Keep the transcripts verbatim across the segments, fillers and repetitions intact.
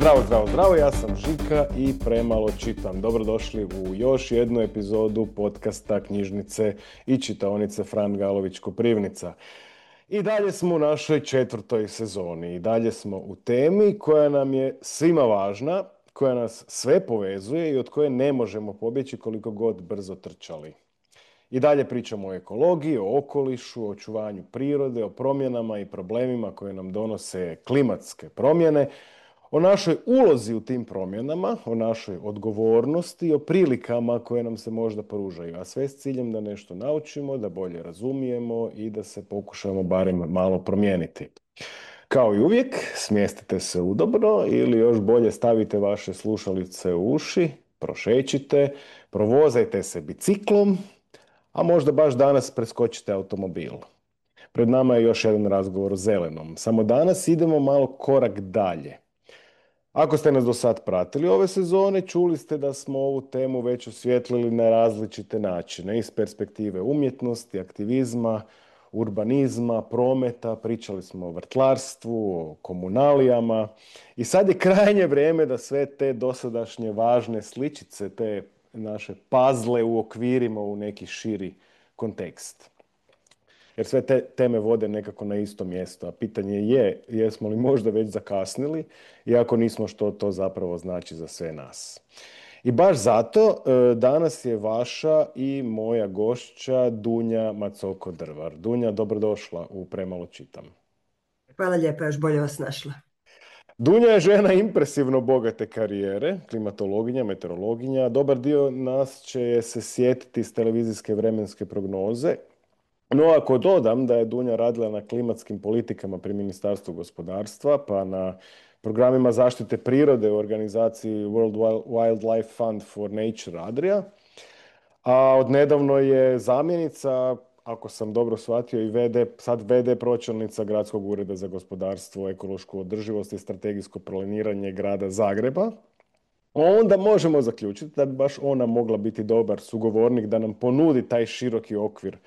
Zdravo, zdravo, zdravo, ja sam Žika i premalo čitam. Dobrodošli u još jednu epizodu podcasta Knjižnice i čitaonice Fran Galović Koprivnica. I dalje smo u našoj četvrtoj sezoni i dalje smo u temi koja nam je svima važna, koja nas sve povezuje i od koje ne možemo pobjeći koliko god brzo trčali. I dalje pričamo o ekologiji, o okolišu, o očuvanju prirode, o promjenama i problemima koje nam donose klimatske promjene, o našoj ulozi u tim promjenama, o našoj odgovornosti, o prilikama koje nam se možda pružaju, a sve s ciljem da nešto naučimo, da bolje razumijemo i da se pokušamo barem malo promijeniti. Kao i uvijek, smjestite se udobno ili još bolje stavite vaše slušalice u uši, prošećite, provozajte se biciklom, a možda baš danas preskočite automobil. Pred nama je još jedan razgovor o zelenom. Samo danas idemo malo korak dalje. Ako ste nas do sad pratili ove sezone, čuli ste da smo ovu temu već osvijetlili na različite načine, iz perspektive umjetnosti, aktivizma, urbanizma, prometa, pričali smo o vrtlarstvu, o komunalijama i sad je krajnje vrijeme da sve te dosadašnje važne sličice, te naše puzzle uokvirimo u neki širi kontekst. Jer sve te teme vode nekako na isto mjesto, a pitanje je jesmo li možda već zakasnili i ako nismo, što to zapravo znači za sve nas. I baš zato danas je vaša i moja gošća Dunja Macoko-Drvar. Dunja, dobrodošla u Premalo čitam. Hvala lijepa, još bolje vas našla. Dunja je žena impresivno bogate karijere, klimatologinja, meteorologinja. Dobar dio nas će se sjetiti s televizijske vremenske prognoze. No, ako dodam da je Dunja radila na klimatskim politikama pri Ministarstvu gospodarstva, pa na programima zaštite prirode u organizaciji World Wildlife Fund for Nature Adria, a odnedavno je zamjenica, ako sam dobro shvatio, i V D, sad V D pročelnica Gradskog ureda za gospodarstvo, ekološku održivost i strategijsko planiranje grada Zagreba, onda možemo zaključiti da bi baš ona mogla biti dobar sugovornik da nam ponudi taj široki okvir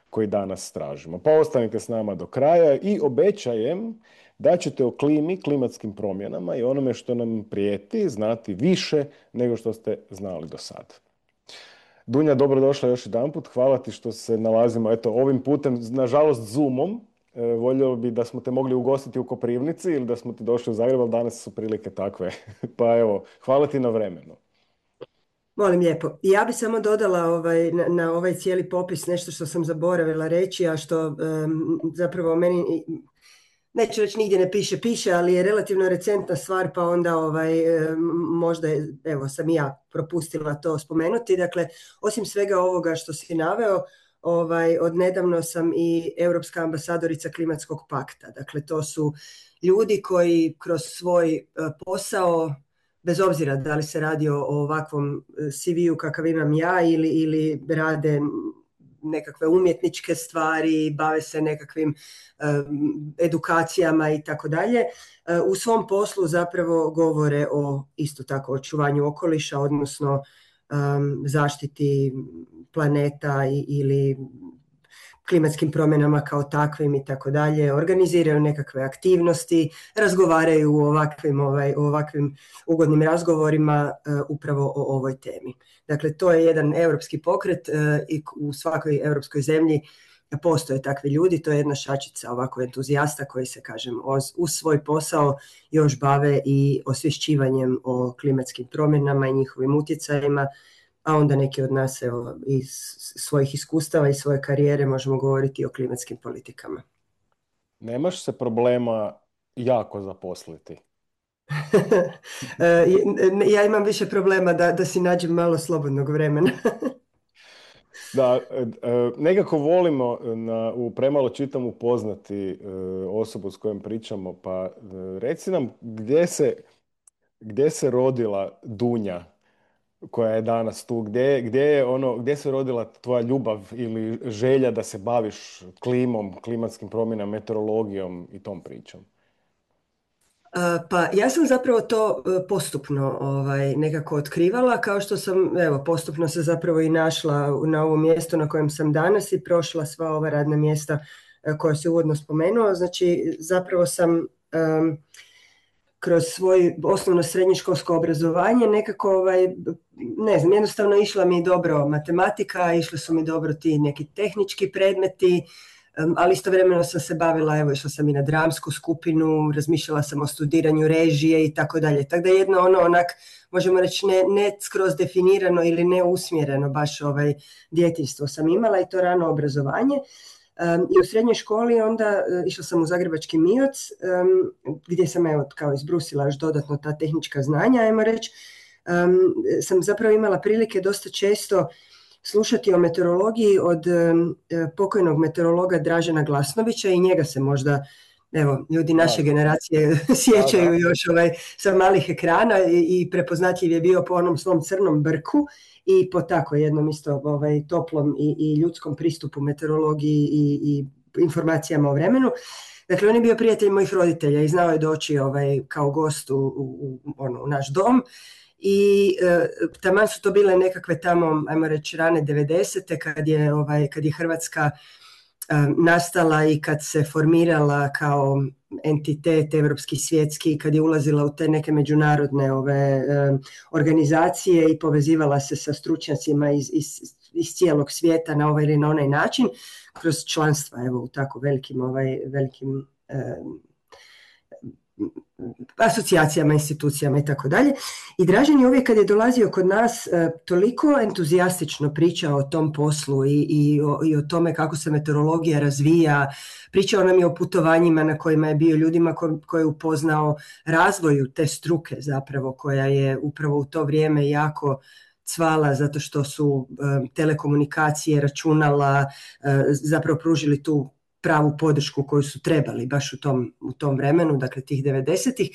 koji danas tražimo. Pa ostanite s nama do kraja i obećajem da ćete o klimi, klimatskim promjenama i onome što nam prijeti znati više nego što ste znali do sad. Dunja, dobrodošla još jedanput. Hvala ti što se nalazimo eto, ovim putem, nažalost Zoomom. E, voljelo bi da smo te mogli ugostiti u Koprivnici ili da smo ti došli u Zagreb, ali danas su prilike takve. Pa evo, hvala ti na vremenu. Molim lijepo. Ja bih samo dodala ovaj, na, na ovaj cijeli popis nešto što sam zaboravila reći, a što um, zapravo meni, neću reći nigdje ne piše, piše, ali je relativno recentna stvar, pa onda ovaj, um, možda je, evo, sam i ja propustila to spomenuti. Dakle, osim svega ovoga što si naveo, ovaj, odnedavno sam i europska ambasadorica Klimatskog pakta. Dakle, to su ljudi koji kroz svoj uh, posao, bez obzira da li se radi o ovakvom C V-u kakav imam ja ili, ili rade nekakve umjetničke stvari, bave se nekakvim um, edukacijama i tako dalje, u svom poslu zapravo govore o isto tako očuvanju okoliša, odnosno um, zaštiti planeta i, ili klimatskim promjenama kao takvim i tako dalje, organiziraju nekakve aktivnosti, razgovaraju u ovakvim, ovaj, u ovakvim ugodnim razgovorima uh, upravo o ovoj temi. Dakle, to je jedan europski pokret uh, i u svakoj europskoj zemlji postoje takvi ljudi, to je jedna šačica ovako entuzijasta koji se, kažem, uz svoj posao još bave i osvješćivanjem o klimatskim promjenama i njihovim utjecajima, a onda neki od nas evo, iz svojih iskustava i svoje karijere možemo govoriti o klimatskim politikama. Nemaš se problema jako zaposliti? Ja imam više problema da, da si nađem malo slobodnog vremena. Da, nekako volimo na, u Premalo čitam upoznati osobu s kojom pričamo, pa reci nam gdje se, gdje se rodila Dunja koja je danas tu, gdje, gdje je ono, gdje se rodila tvoja ljubav ili želja da se baviš klimom, klimatskim promjenama, meteorologijom i tom pričom? Pa ja sam zapravo to postupno ovaj, nekako otkrivala, kao što sam evo, postupno se zapravo i našla na ovo mjesto na kojem sam danas i prošla sva ova radna mjesta koja se uvodno spomenuo. Znači zapravo sam um, kroz svoje osnovno srednjoškolsko obrazovanje nekako, ovaj, ne znam, jednostavno išla mi dobro matematika, išli su mi dobro ti neki tehnički predmeti, ali istovremeno sam se bavila, evo išla sam i na dramsku skupinu, razmišljala sam o studiranju režije i tako dalje. Tako da jedno ono onak, možemo reći ne, ne skroz definirano ili ne usmjereno baš ovaj djetinjstvo sam imala i to rano obrazovanje. Um, I u srednjoj školi onda uh, išla sam u Zagrebački MIOC um, gdje sam evo kao izbrusila još dodatno ta tehnička znanja, ajmo reći. Um, sam zapravo imala prilike dosta često slušati o meteorologiji od um, pokojnog meteorologa Dražena Glasnovića i njega se možda, evo, ljudi naše generacije sjećaju da, da. još ovaj, sa malih ekrana i, i prepoznatljiv je bio po onom svom crnom brku i po tako jednom isto ovaj, toplom i, i ljudskom pristupu meteorologiji i, i informacijama o vremenu. Dakle, on je bio prijatelj mojih roditelja i znao je doći ovaj, kao gost u, u, ono, u naš dom. I e, taman su to bile nekakve tamo, ajmo reći, rane devedesete kad je, ovaj, kad je Hrvatska e, nastala i kad se formirala kao entitet evropski, svjetski, kad je ulazila u te neke međunarodne ove, e, organizacije i povezivala se sa stručnjacima iz, iz, iz cijelog svijeta na ovaj ili na onaj način, kroz članstva evo, u tako velikim, ovaj, velikim e, asocijacijama, institucijama i tako dalje. I Dražen je uvijek kad je dolazio kod nas toliko entuzijastično pričao o tom poslu i, i, o, i o tome kako se meteorologija razvija. Pričao nam je o putovanjima na kojima je bio, ljudima ko, koje je upoznao razvoju te struke zapravo, koja je upravo u to vrijeme jako cvala zato što su um, telekomunikacije, računala uh, zapravo pružili tu pravu podršku koju su trebali baš u tom, u tom vremenu, dakle tih devedesetih.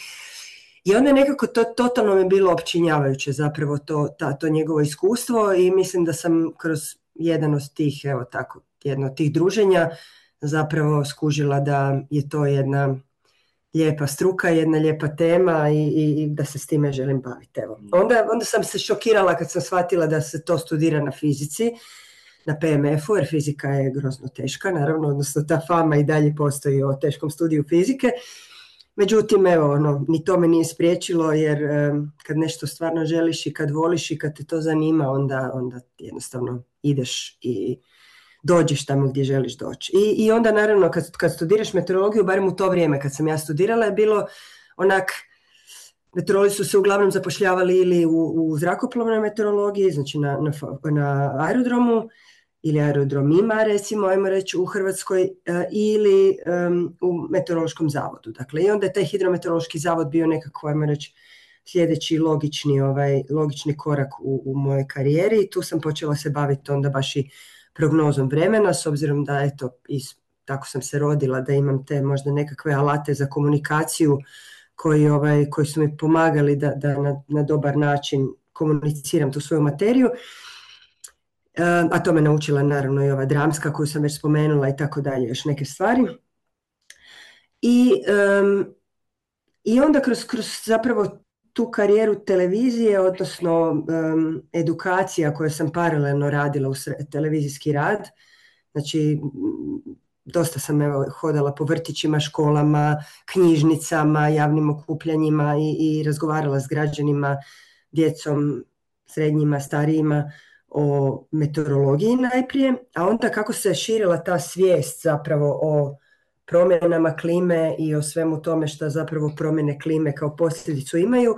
I onda je nekako to totalno mi bilo opčinjavajuće zapravo to, ta, to njegovo iskustvo i mislim da sam kroz jedan od tih, evo tako, jedno od tih druženja zapravo skužila da je to jedna lijepa struka, jedna lijepa tema i, i, i da se s time želim baviti. Evo. Onda, onda sam se šokirala kad sam shvatila da se to studira na fizici, na P M F-u, jer fizika je grozno teška, naravno, odnosno ta fama i dalje postoji o teškom studiju fizike. Međutim, evo, ono, ni to me nije spriječilo, jer um, kad nešto stvarno želiš i kad voliš i kad te to zanima, onda, onda jednostavno ideš i dođeš tamo gdje želiš doći. I, i onda, naravno, kad, kad studiraš meteorologiju, barem u to vrijeme kad sam ja studirala, je bilo onak, meteorolozi su se uglavnom zapošljavali ili u, u zrakoplovnoj meteorologiji, znači na, na, na aerodromu, ili aerodromima, recimo, ajmo reći, u Hrvatskoj, uh, ili um, u meteorološkom zavodu. Dakle, i onda je taj hidrometeorološki zavod bio nekako, ajmo reći, sljedeći logični, ovaj, logični korak u, u mojoj karijeri i tu sam počela se baviti onda baš i prognozom vremena, s obzirom da, eto, iz, tako sam se rodila, da imam te možda nekakve alate za komunikaciju koji, ovaj, koji su mi pomagali da, da na, na dobar način komuniciram tu svoju materiju. A to me naučila naravno i ova dramska koju sam već spomenula i tako dalje, još neke stvari. I, um, i onda kroz, kroz zapravo tu karijeru televizije, odnosno um, edukacija koju sam paralelno radila u televizijski rad, znači dosta sam evo, hodala po vrtićima, školama, knjižnicama, javnim okupljanjima i, i razgovarala s građanima, djecom, srednjima, starijima, o meteorologiji najprije, a onda kako se širila ta svijest zapravo o promjenama klime i o svemu tome što zapravo promjene klime kao posljedicu imaju,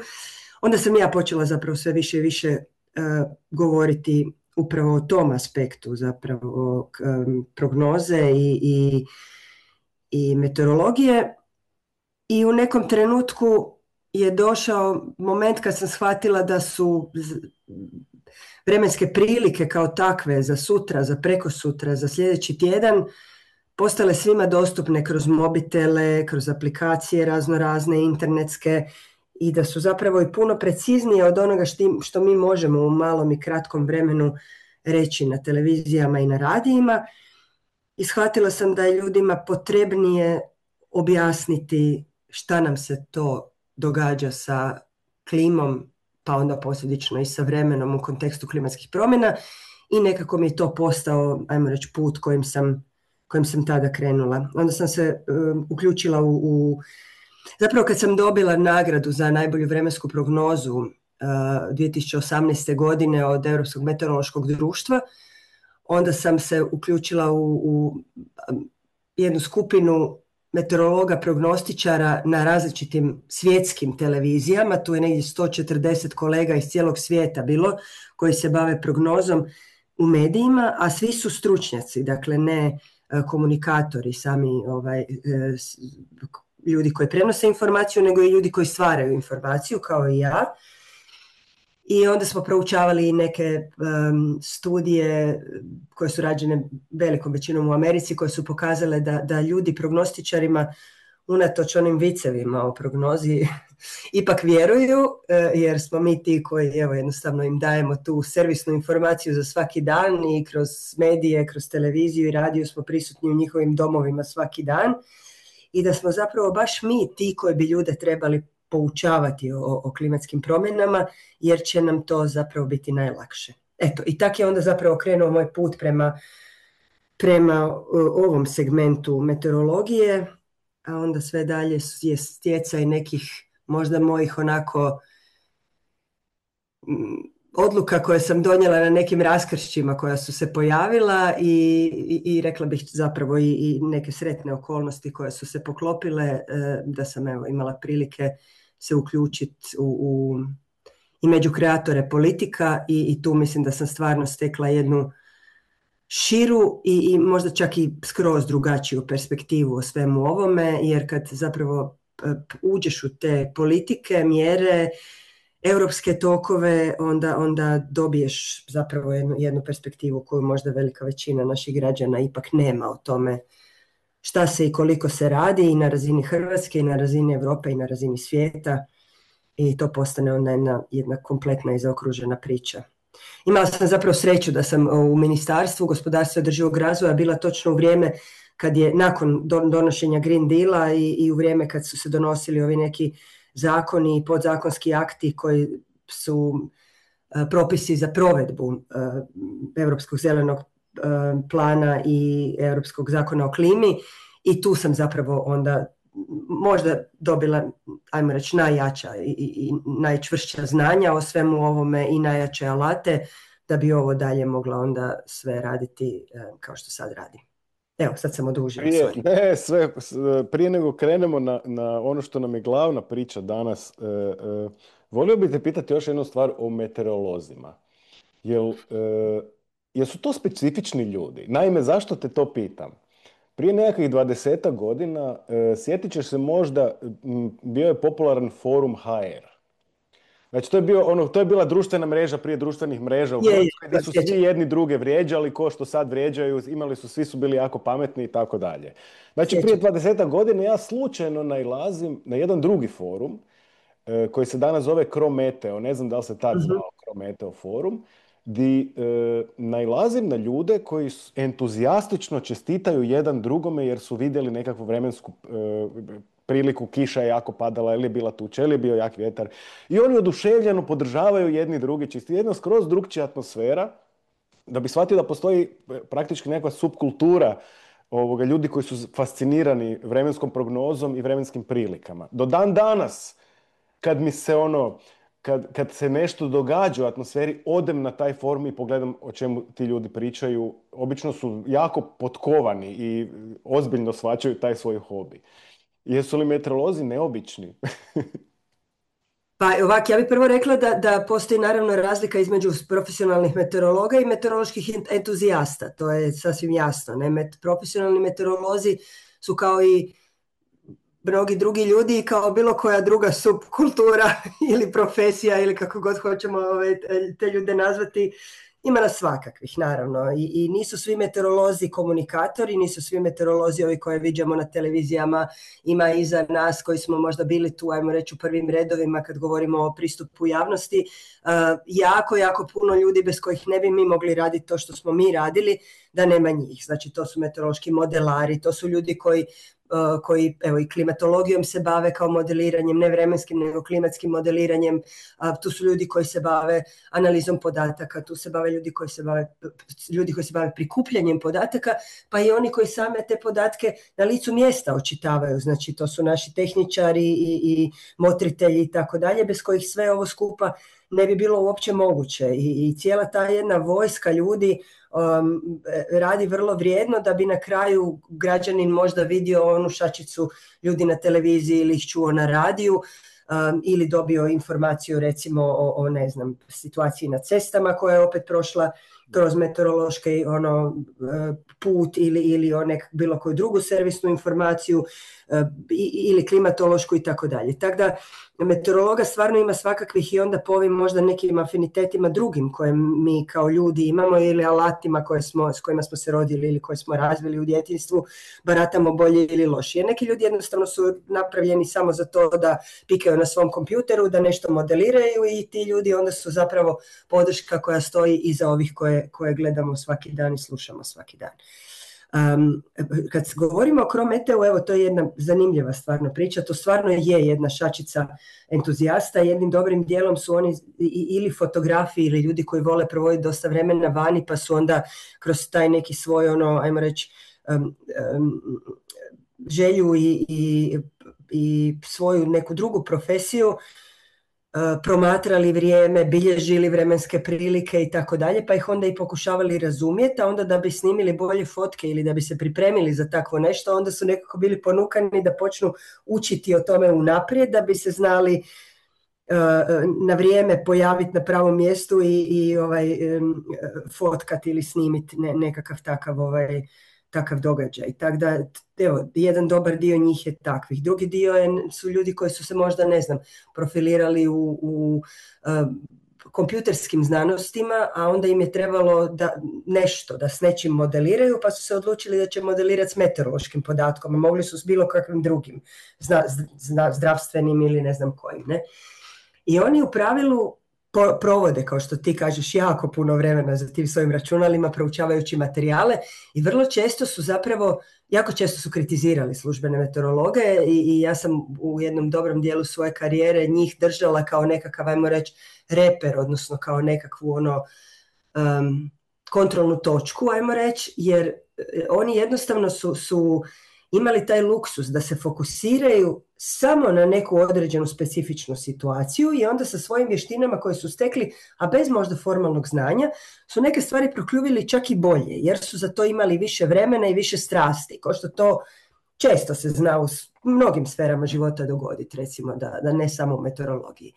onda sam ja počela zapravo sve više i više uh, govoriti upravo o tom aspektu zapravo um, prognoze i, i, i meteorologije. I u nekom trenutku je došao moment kad sam shvatila da su vremenske prilike kao takve za sutra, za prekosutra, za sljedeći tjedan postale svima dostupne kroz mobitele, kroz aplikacije razno razne internetske i da su zapravo i puno preciznije od onoga što mi možemo u malom i kratkom vremenu reći na televizijama i na radijima. I shvatila sam da je ljudima potrebnije objasniti šta nam se to događa sa klimom, pa onda posljedično i sa vremenom u kontekstu klimatskih promjena i nekako mi je to postao, ajmo reći, put kojim sam, kojim sam tada krenula. Onda sam se um, uključila u, u zapravo kad sam dobila nagradu za najbolju vremensku prognozu uh, dvije tisuće osamnaeste. godine od Europskog meteorološkog društva, onda sam se uključila u, u jednu skupinu meteorologa, prognostičara na različitim svjetskim televizijama. Tu je negdje sto četrdeset kolega iz cijelog svijeta bilo koji se bave prognozom u medijima, a svi su stručnjaci, dakle ne komunikatori, sami ovaj, ljudi koji prenose informaciju, nego i ljudi koji stvaraju informaciju, kao i ja. I onda smo proučavali neke um, studije koje su rađene velikom većinom u Americi, koje su pokazale da, da ljudi prognostičarima unatoč onim vicevima o prognozi ipak vjeruju, jer smo mi ti koji evo, jednostavno im dajemo tu servisnu informaciju za svaki dan i kroz medije, kroz televiziju i radio smo prisutni u njihovim domovima svaki dan i da smo zapravo baš mi ti koji bi ljude trebali poučavati o, o klimatskim promjenama, jer će nam to zapravo biti najlakše. Eto, i tak je onda zapravo krenuo moj put prema, prema ovom segmentu meteorologije, a onda sve dalje je stjecaj nekih možda mojih onako m, odluka koje sam donijela na nekim raskršćima koja su se pojavila i, i, i rekla bih zapravo i, i neke sretne okolnosti koje su se poklopile, e, da sam evo, imala prilike se uključiti u, u, i među kreatore politika i, i tu mislim da sam stvarno stekla jednu širu i, i možda čak i skroz drugačiju perspektivu o svemu ovome, jer kad zapravo uđeš u te politike, mjere, europske tokove, onda, onda dobiješ zapravo jednu, jednu perspektivu koju možda velika većina naših građana ipak nema o tome šta se i koliko se radi i na razini Hrvatske i na razini Europe i na razini svijeta i to postane onda jedna, jedna kompletna i zaokružena priča. Imala sam zapravo sreću da sam u Ministarstvu gospodarstva i održivog razvoja bila točno u vrijeme kad je nakon donošenja Green Deala i, i u vrijeme kad su se donosili ovi neki zakoni i podzakonski akti koji su uh, propisi za provedbu uh, Europskog zelenog uh, plana i Europskog zakona o klimi i tu sam zapravo onda možda dobila, ajmo reći, najjača i, i, i najčvršća znanja o svemu ovome i najjače alate da bi ovo dalje mogla onda sve raditi uh, kao što sad radim. Evo, sad sam odužila. Prije, ne, sve, prije nego krenemo na, na ono što nam je glavna priča danas, e, e, volio bih te pitati još jednu stvar o meteorolozima. Jel, e, jel su to specifični ljudi? Naime, zašto te to pitam? Prije nekakvih dvadesetak godina, e, sjetit ćeš se možda, m, bio je popularan forum ha er. Znači, to je, bio, ono, to je bila društvena mreža prije društvenih mreža u Hrvatskoj, gdje su svi jedni druge vrijeđali, ko što sad vrijeđaju, imali su, svi su bili jako pametni i tako dalje. Znači, prije dvadesetak godina ja slučajno nailazim na jedan drugi forum, e, koji se danas zove Crometeo, ne znam da li se tad zvao uh-huh. Crometeo forum, gdje e, nailazim na ljude koji entuzijastično čestitaju jedan drugome jer su vidjeli nekakvu vremensku e, priliku, kiša je jako padala, ili je bila tuča, ili je bio jak vjetar. I oni oduševljeno podržavaju jedni drugi, čisti jedna skroz drugčija atmosfera, da bi shvatio da postoji praktički nekakva subkultura ovoga, ljudi koji su fascinirani vremenskom prognozom i vremenskim prilikama. Do dan danas, kad mi se ono, kad, kad se nešto događa u atmosferi, odem na taj forum i pogledam o čemu ti ljudi pričaju. Obično su jako potkovani i ozbiljno shvaćaju taj svoj hobi. Jesu li meteorolozi neobični? Pa ovak, ja bih prvo rekla da, da postoji naravno razlika između profesionalnih meteorologa i meteoroloških entuzijasta. To je sasvim jasno. Ne? Met, profesionalni meteorolozi su kao i mnogi drugi ljudi i kao bilo koja druga subkultura ili profesija ili kako god hoćemo ove, te ljude nazvati. Ima nas svakakvih, naravno. I, I nisu svi meteorolozi komunikatori, nisu svi meteorolozi ovi koje viđamo na televizijama. Ima iza nas koji smo možda bili tu, ajmo reći, u prvim redovima kad govorimo o pristupu javnosti. Uh, jako, jako puno ljudi bez kojih ne bi mi mogli raditi to što smo mi radili, da nema njih. Znači, to su meteorološki modelari, to su ljudi koji uh, koji evo i klimatologijom se bave kao modeliranjem, ne vremenskim nego klimatskim modeliranjem, uh, tu su ljudi koji se bave analizom podataka, tu se bave ljudi koji se bave, ljudi koji se bave prikupljanjem podataka, pa i oni koji same te podatke na licu mjesta očitavaju, znači to su naši tehničari i, i motritelji i tako dalje, bez kojih sve ovo skupa ne bi bilo uopće moguće. I, i cijela ta jedna vojska ljudi um, radi vrlo vrijedno da bi na kraju građanin možda vidio onu šačicu ljudi na televiziji ili ih čuo na radiju, um, ili dobio informaciju recimo o, o ne znam, situaciji na cestama koja je opet prošla kroz meteorološki ono, put ili, ili o nek, bilo koju drugu servisnu informaciju ili klimatološku i tako dalje. Tako da meteorologa stvarno ima svakakvih i onda po ovim možda nekim afinitetima drugim koje mi kao ljudi imamo ili alatima koje smo, s kojima smo se rodili ili koje smo razvili u djetinjstvu, baratamo bolje ili lošije. Neki ljudi jednostavno su napravljeni samo za to da pikaju na svom kompjuteru, da nešto modeliraju i ti ljudi onda su zapravo podrška koja stoji iza ovih koje, koje gledamo svaki dan i slušamo svaki dan. Um, kad govorimo o Crometeu, evo to je jedna zanimljiva stvarno priča, to stvarno je jedna šačica entuzijasta, jednim dobrim dijelom su oni ili fotografi ili ljudi koji vole provoditi dosta vremena vani pa su onda kroz taj neki svoj ono, ajmo reći, um, um, želju i, i, i svoju neku drugu profesiju promatrali vrijeme, bilježili vremenske prilike i tako dalje, pa ih onda i pokušavali razumjeti, a onda da bi snimili bolje fotke ili da bi se pripremili za takvo nešto, onda su nekako bili ponukani da počnu učiti o tome unaprijed, da bi se znali uh, na vrijeme pojaviti na pravom mjestu i, i ovaj, um, fotkati ili snimiti ne, nekakav takav ovaj, takav događaj. Tako da, evo, jedan dobar dio njih je takvih. Drugi dio je, su ljudi koji su se možda, ne znam, profilirali u, u uh, kompjuterskim znanostima, a onda im je trebalo da nešto, da s nečim modeliraju, pa su se odlučili da će modelirati s meteorološkim podatkom, a mogli su s bilo kakvim drugim, zna, zna, zdravstvenim ili ne znam kojim, ne? I oni u pravilu provode, kao što ti kažeš, jako puno vremena za tim svojim računalima, proučavajući materijale i vrlo često su zapravo, jako često su kritizirali službene meteorologe i, i ja sam u jednom dobrom dijelu svoje karijere njih držala kao nekakav, ajmo reći, reper, odnosno kao nekakvu ono um, kontrolnu točku, ajmo reći, jer oni jednostavno su, su imali taj luksus da se fokusiraju samo na neku određenu specifičnu situaciju i onda sa svojim vještinama koje su stekli, a bez možda formalnog znanja, su neke stvari prokljuvili čak i bolje, jer su za to imali više vremena i više strasti, kao što to često se zna u mnogim sferama života dogoditi, recimo da, da ne samo u meteorologiji.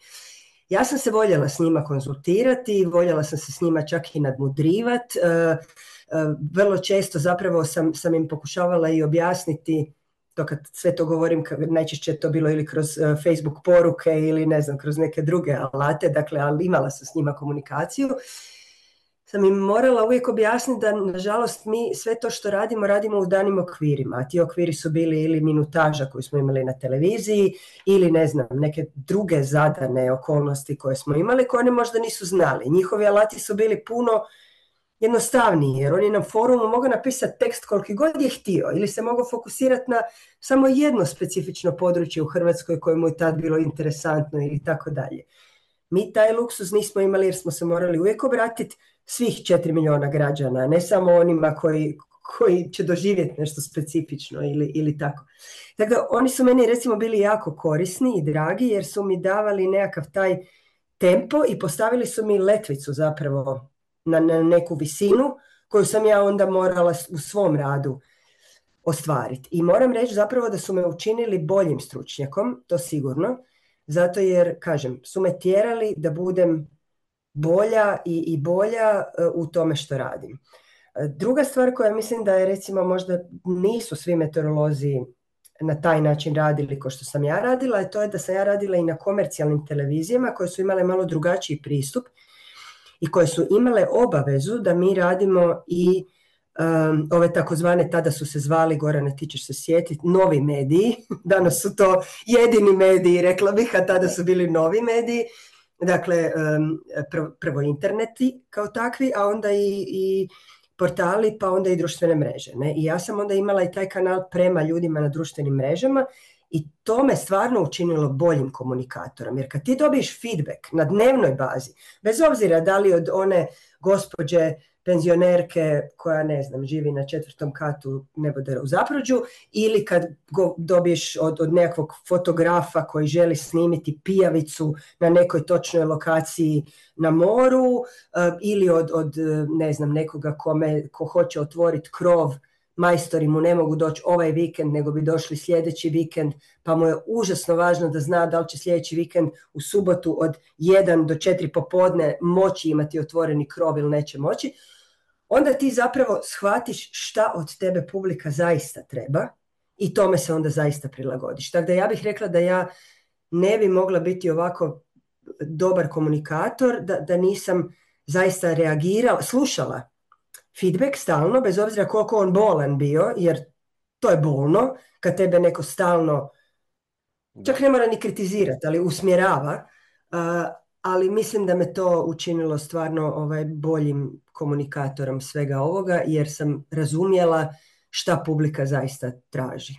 Ja sam se voljela s njima konzultirati, voljela sam se s njima čak i nadmudrivati, uh, uh, vrlo često zapravo sam, sam im pokušavala i objasniti, to kad sve to govorim, najčešće je to bilo ili kroz uh, Facebook poruke ili ne znam, kroz neke druge alate, dakle, ali imala sam s njima komunikaciju, sam im morala uvijek objasniti da, nažalost, mi sve to što radimo, radimo u danim okvirima, a ti okviri su bili ili minutaža koju smo imali na televiziji ili, ne znam, neke druge zadane okolnosti koje smo imali, koje oni možda nisu znali. Njihovi alati su bili puno jednostavniji, jer on je na forumu mogao napisati tekst koliki god je htio ili se mogao fokusirati na samo jedno specifično područje u Hrvatskoj koje mu je tad bilo interesantno ili tako dalje. Mi taj luksuz nismo imali jer smo se morali uvijek obratiti svih četiri milijuna građana, ne samo onima koji, koji će doživjeti nešto specifično ili, ili tako. Tako da oni su meni recimo bili jako korisni i dragi jer su mi davali nekakav taj tempo i postavili su mi letvicu zapravo na, na neku visinu koju sam ja onda morala u svom radu ostvariti. I moram reći zapravo da su me učinili boljim stručnjakom, to sigurno, zato jer, kažem, su me tjerali da budem bolja i, i bolja u tome što radim. Druga stvar koja mislim da je, recimo, možda nisu svi meteorolozi na taj način radili kao što sam ja radila, je to je da sam ja radila i na komercijalnim televizijama koje su imale malo drugačiji pristup i koje su imale obavezu da mi radimo i um, ove takozvane, tada su se zvali, Gorane, ti ćeš se sjetiti, novi mediji. Danas su to jedini mediji, rekla bih, a tada su bili novi mediji. Dakle, um, prvo, prvo interneti kao takvi, a onda i, i portali, pa onda i društvene mreže. Ne? I ja sam onda imala i taj kanal prema ljudima na društvenim mrežama i to me stvarno učinilo boljim komunikatorom. Jer kad ti dobiješ feedback na dnevnoj bazi, bez obzira da li od one gospođe penzionerke koja, ne znam, živi na četvrtom katu nebodera u Zapruđu, ili kad go dobiješ od, od nekakvog fotografa koji želi snimiti pijavicu na nekoj točnoj lokaciji na moru, uh, ili od, od, ne znam, nekoga kome, ko hoće otvoriti krov, majstori mu ne mogu doći ovaj vikend, nego bi došli sljedeći vikend, pa mu je užasno važno da zna da li će sljedeći vikend u subotu od jedan do četiri popodne moći imati otvoreni krov ili neće moći. Onda ti zapravo shvatiš šta od tebe publika zaista treba i tome se onda zaista prilagodiš. Tako da ja bih rekla da ja ne bi mogla biti ovako dobar komunikator da, da nisam zaista reagirala, slušala feedback stalno, bez obzira koliko on bolan bio, jer to je bolno kad tebe neko stalno, čak ne mora ni kritizirati, ali usmjerava, uh, ali mislim da me to učinilo stvarno ovaj, boljim komunikatorom svega ovoga, jer sam razumjela šta publika zaista traži.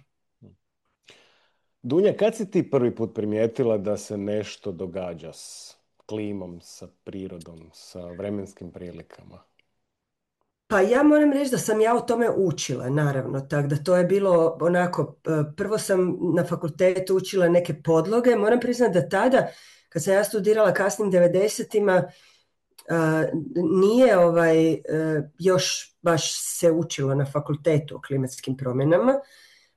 Dunja, kad si ti prvi put primijetila da se nešto događa s klimom, sa prirodom, sa vremenskim prilikama? Pa ja moram reći da sam ja o tome učila, naravno, tako da to je bilo onako, prvo sam na fakultetu učila neke podloge, moram priznati da tada, kad sam ja studirala kasnim devedesetima, nije ovaj, još baš se učilo na fakultetu o klimatskim promjenama,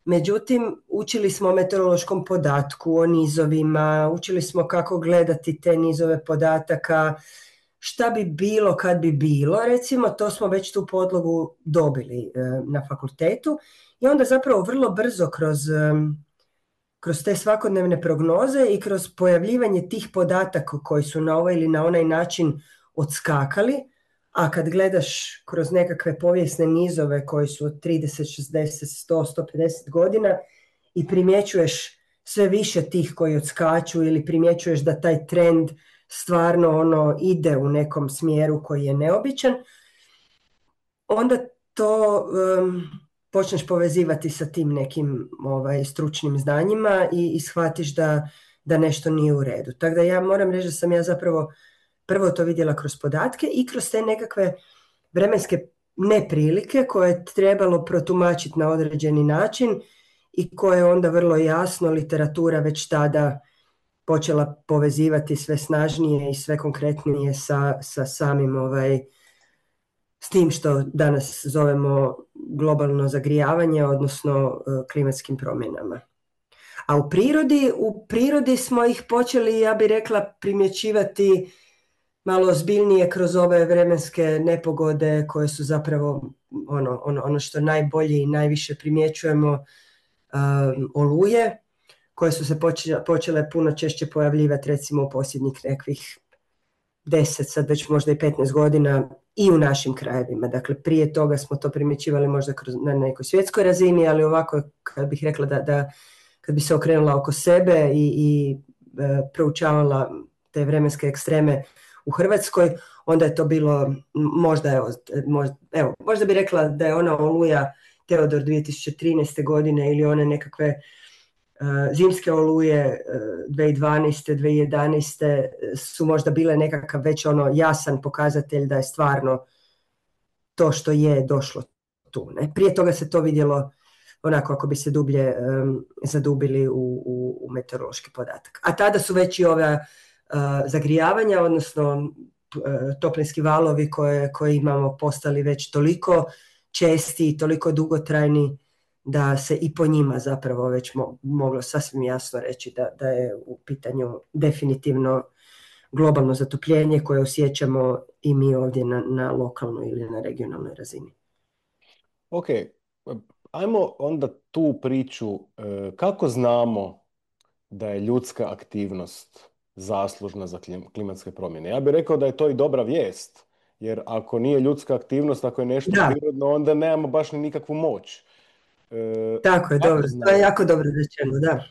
međutim, učili smo o meteorološkom podatku, o nizovima, učili smo kako gledati te nizove podataka, šta bi bilo kad bi bilo, recimo, to smo već tu podlogu dobili e, na fakultetu i onda zapravo vrlo brzo kroz, e, kroz te svakodnevne prognoze i kroz pojavljivanje tih podataka koji su na ovaj ili na onaj način odskakali, a kad gledaš kroz nekakve povijesne nizove koji su od trideset, šezdeset, sto, sto pedeset godina i primjećuješ sve više tih koji odskaču ili primjećuješ da taj trend stvarno ono ide u nekom smjeru koji je neobičan, onda to um, počneš povezivati sa tim nekim ovaj, stručnim znanjima i, i shvatiš da, da nešto nije u redu. Tako da ja moram reći da sam ja zapravo prvo to vidjela kroz podatke i kroz te nekakve vremenske neprilike koje je trebalo protumačiti na određeni način i koje je onda vrlo jasno literatura već tada počela povezivati sve snažnije i sve konkretnije sa, sa samim ovaj, s tim što danas zovemo globalno zagrijavanje, odnosno uh, klimatskim promjenama. A u prirodi, u prirodi smo ih počeli, ja bih rekla, primjećivati malo ozbiljnije kroz ove vremenske nepogode koje su zapravo ono, ono, ono što najbolje i najviše primjećujemo, um, oluje, koje su se počele, počele puno češće pojavljivati recimo u posljednjih nekvih deset, sad već možda i petnaest godina i u našim krajevima. Dakle, prije toga smo to primjećivali možda kroz, na nekoj svjetskoj razini, ali ovako kad bih rekla da, da kad bi se okrenula oko sebe i, i e, proučavala te vremenske ekstreme u Hrvatskoj, onda je to bilo možda, evo, možda, evo, možda bi rekla da je ona oluja Teodor dvije tisuće trinaeste godine ili one nekakve uh, zimske oluje uh, dvije tisuće dvanaeste. dvije tisuće jedanaeste su možda bile nekakav već ono jasan pokazatelj da je stvarno to što je došlo tu. Ne? Prije toga se to vidjelo onako ako bi se dublje um, zadubili u, u, u meteorološki podatak. A tada su već i ove uh, zagrijavanja, odnosno uh, toplinski valovi koje, koje imamo postali već toliko česti i toliko dugotrajni da se i po njima zapravo već mo- moglo sasvim jasno reći da, da je u pitanju definitivno globalno zatopljenje koje osjećamo i mi ovdje na, na lokalnoj ili na regionalnoj razini. Ok, ajmo onda tu priču, kako znamo da je ljudska aktivnost zaslužna za klimatske promjene? Ja bih rekao da je to i dobra vijest, jer ako nije ljudska aktivnost, ako je nešto Da. prirodno, onda nemamo baš ni nikakvu moć. E, Tako je, dobro, to je jako dobro rečeno, da.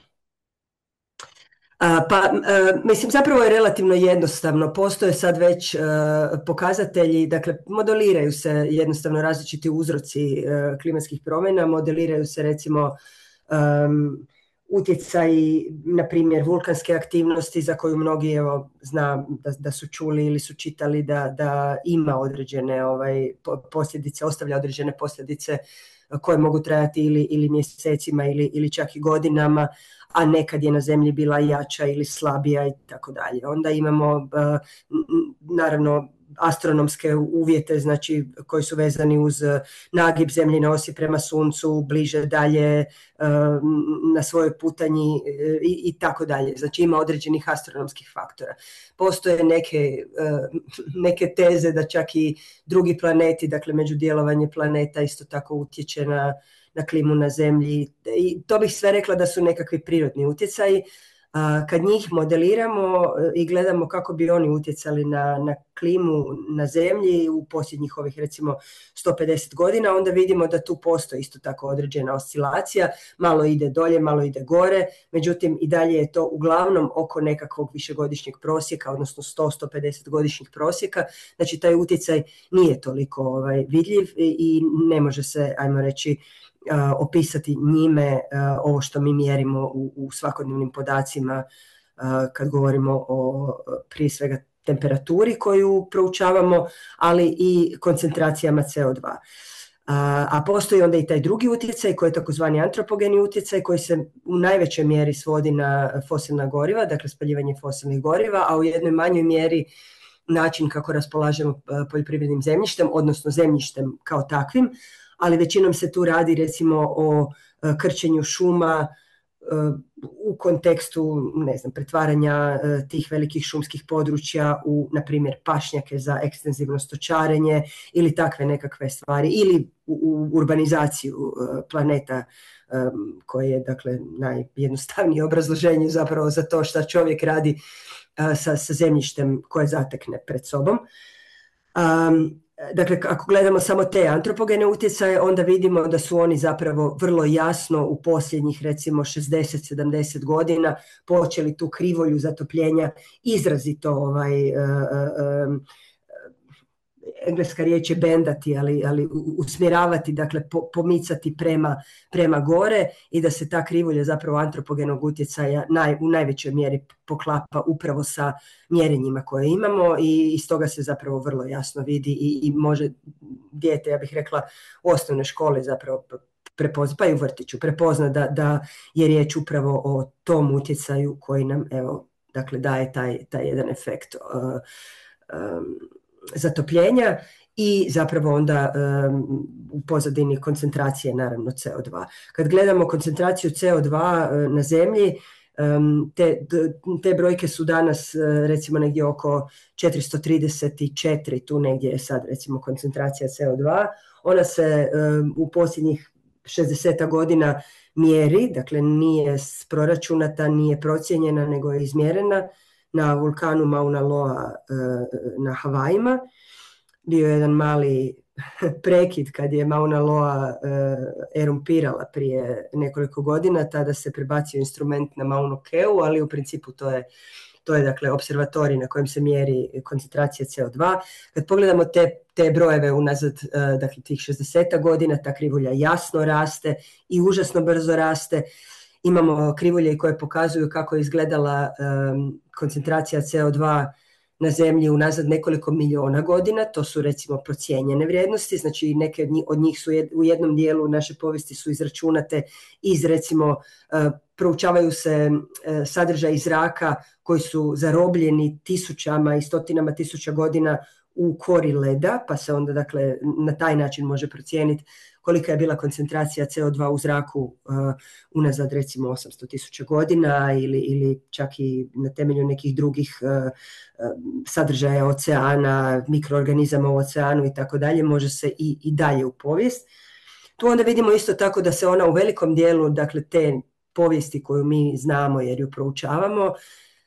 Pa, mislim, zapravo je relativno jednostavno. Postoje sad već pokazatelji, dakle, modeliraju se jednostavno različiti uzroci klimatskih promjena, modeliraju se recimo um, utjecaji, na primjer, vulkanske aktivnosti za koju mnogi, evo, zna da, da su čuli ili su čitali da, da ima određene ovaj, posljedice, ostavlja određene posljedice koje mogu trajati ili, ili mjesecima ili, ili čak i godinama, a nekad je na zemlji bila jača ili slabija i tako dalje. Onda imamo naravno astronomske uvjete, znači koji su vezani uz nagib zemljine osi prema suncu, bliže, dalje, na svojoj putanji i, i tako dalje. Znači ima određenih astronomskih faktora. Postoje neke, neke teze da čak i drugi planeti, dakle međudjelovanje planeta isto tako utječe na, na klimu na zemlji. I to bih sve rekla da su nekakvi prirodni utjecaji. Kad njih modeliramo i gledamo kako bi oni utjecali na, na klimu na zemlji u posljednjih ovih recimo sto pedeset godina, onda vidimo da tu postoji isto tako određena oscilacija, malo ide dolje, malo ide gore, međutim i dalje je to uglavnom oko nekakvog višegodišnjeg prosjeka, odnosno sto do sto pedeset godišnjih prosjeka, znači taj utjecaj nije toliko ovaj, vidljiv i, i ne može se, ajmo reći, Uh, opisati njime uh, ovo što mi mjerimo u, u svakodnevnim podacima uh, kad govorimo o prije svega temperaturi koju proučavamo, ali i koncentracijama C O dva. Uh, a postoji onda i taj drugi utjecaj koji je takozvani antropogeni utjecaj koji se u najvećoj mjeri svodi na fosilna goriva, dakle spaljivanje fosilnih goriva, a u jednoj manjoj mjeri način kako raspolažemo poljoprivrednim zemljištem, odnosno zemljištem kao takvim, ali većinom se tu radi recimo o krčenju šuma u kontekstu, ne znam, pretvaranja tih velikih šumskih područja u, na primjer, pašnjake za ekstenzivno stočarenje ili takve nekakve stvari, ili u, u urbanizaciju planeta, koje je, dakle, najjednostavnije obrazloženje zapravo za to šta čovjek radi sa, sa zemljištem koje zatekne pred sobom. Um, Dakle, ako gledamo samo te antropogene utjecaje, onda vidimo da su oni zapravo vrlo jasno u posljednjih recimo šezdeset do sedamdeset godina počeli tu krivolju zatopljenja izrazito ovaj, uh, uh, engleska riječ je bendati, ali, ali usmjeravati, dakle po, pomicati prema, prema gore i da se ta krivulja zapravo antropogenog utjecaja naj, u najvećoj mjeri poklapa upravo sa mjerenjima koje imamo i iz toga se zapravo vrlo jasno vidi i, i može dijete, ja bih rekla, u osnovnoj školi zapravo prepozna, pa i u vrtiću prepozna da, da je riječ upravo o tom utjecaju koji nam, evo, dakle daje taj, taj jedan efekt uh, um, zatopljenja i zapravo onda um, u pozadini koncentracije naravno C O dva. Kad gledamo koncentraciju C O dva uh, na zemlji, um, te, te brojke su danas uh, recimo negdje oko četiristo trideset četiri, tu negdje je sad recimo koncentracija C O dva. Ona se um, u posljednjih šezdeset godina mjeri, dakle nije proračunata, nije procijenjena, nego je izmjerena na vulkanu Mauna Loa na Havajima. Bio je jedan mali prekid kad je Mauna Loa erumpirala prije nekoliko godina, tada se prebacio instrument na Maunu Keu, ali u principu to je, to je dakle observatorij na kojem se mjeri koncentracija C O dva. Kad pogledamo te, te brojeve unazad, dakle tih šezdeset godina, ta krivulja jasno raste i užasno brzo raste. Imamo krivulje koje pokazuju kako je izgledala um, koncentracija C O dva na zemlji unazad nekoliko miliona godina, to su recimo procijenjene vrijednosti, znači neke od njih su jed, u jednom dijelu naše povijesti su izračunate iz recimo, uh, proučavaju se uh, sadržaj zraka koji su zarobljeni tisućama i stotinama tisuća godina u kori leda, pa se onda dakle na taj način može procijeniti kolika je bila koncentracija C O dva u zraku uh, unazad recimo osamsto tisuća godina ili, ili čak i na temelju nekih drugih uh, uh, sadržaja oceana, mikroorganizama u oceanu i tako dalje, može se i, i dalje u povijest. Tu onda vidimo isto tako da se ona u velikom dijelu, dakle te povijesti koju mi znamo jer ju proučavamo,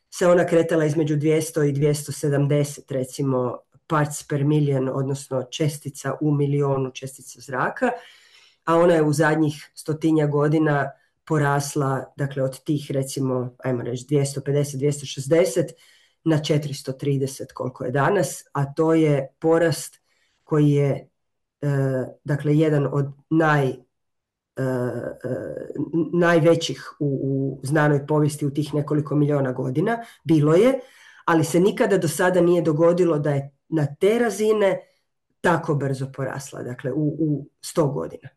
se ona kretala između dvjesto i dvjesto sedamdeset recimo parts per million, odnosno čestica u milionu čestica zraka, a ona je u zadnjih stotinja godina porasla, dakle od tih recimo, ajmo reći dvjesto pedeset, dvjesto šezdeset na četiristo trideset koliko je danas, a to je porast koji je e, dakle jedan od naj, e, najvećih u, u znanoj povijesti u tih nekoliko milijuna godina, bilo je, ali se nikada do sada nije dogodilo da je na te razine tako brzo porasla, dakle u, u sto godina.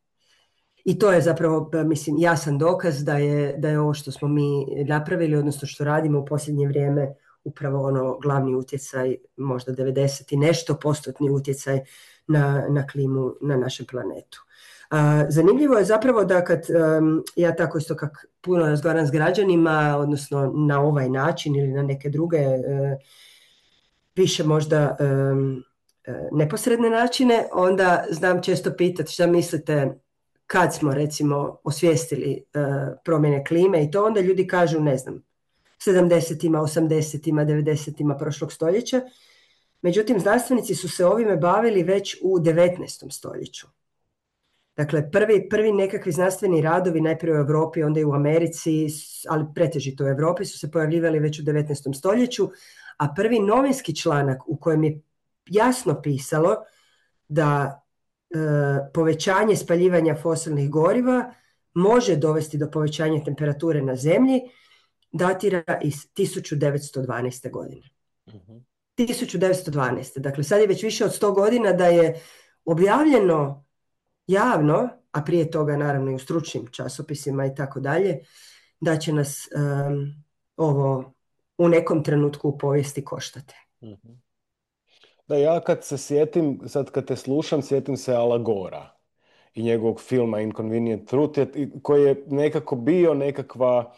I to je zapravo, mislim, jasan dokaz da je, da je ovo što smo mi napravili, odnosno što radimo u posljednje vrijeme, upravo ono glavni utjecaj, možda devedeset i nešto postotni utjecaj na, na klimu na našem planetu. A, zanimljivo je zapravo da kad um, ja tako isto kak puno razgovaram s građanima, odnosno na ovaj način ili na neke druge uh, više možda um, neposredne načine, onda znam često pitati šta mislite kad smo recimo osvijestili uh, promjene klime i to onda ljudi kažu ne znam, sedamdesetima, osamdesetima, devedesetima prošlog stoljeća. Međutim, znanstvenici su se ovime bavili već u devetnaestom stoljeću. Dakle, prvi, prvi nekakvi znanstveni radovi, najprije u Europi, onda i u Americi, ali pretežito u Europi, su se pojavljivali već u devetnaestom stoljeću, a prvi novinski članak u kojem je jasno pisalo da e, povećanje spaljivanja fosilnih goriva može dovesti do povećanja temperature na Zemlji, datira iz tisuću devetsto dvanaeste. godine. Uh-huh. tisuću devetsto dvanaeste. Dakle, sad je već više od sto godina da je objavljeno javno, a prije toga naravno i u stručnim časopisima i tako dalje, da će nas um, ovo u nekom trenutku u povijesti koštati. Uh-huh. Da, ja kad se sjetim, sad kad te slušam, sjetim se Ala Gora i njegovog filma Inconvenient Truth, koji je nekako bio nekakva,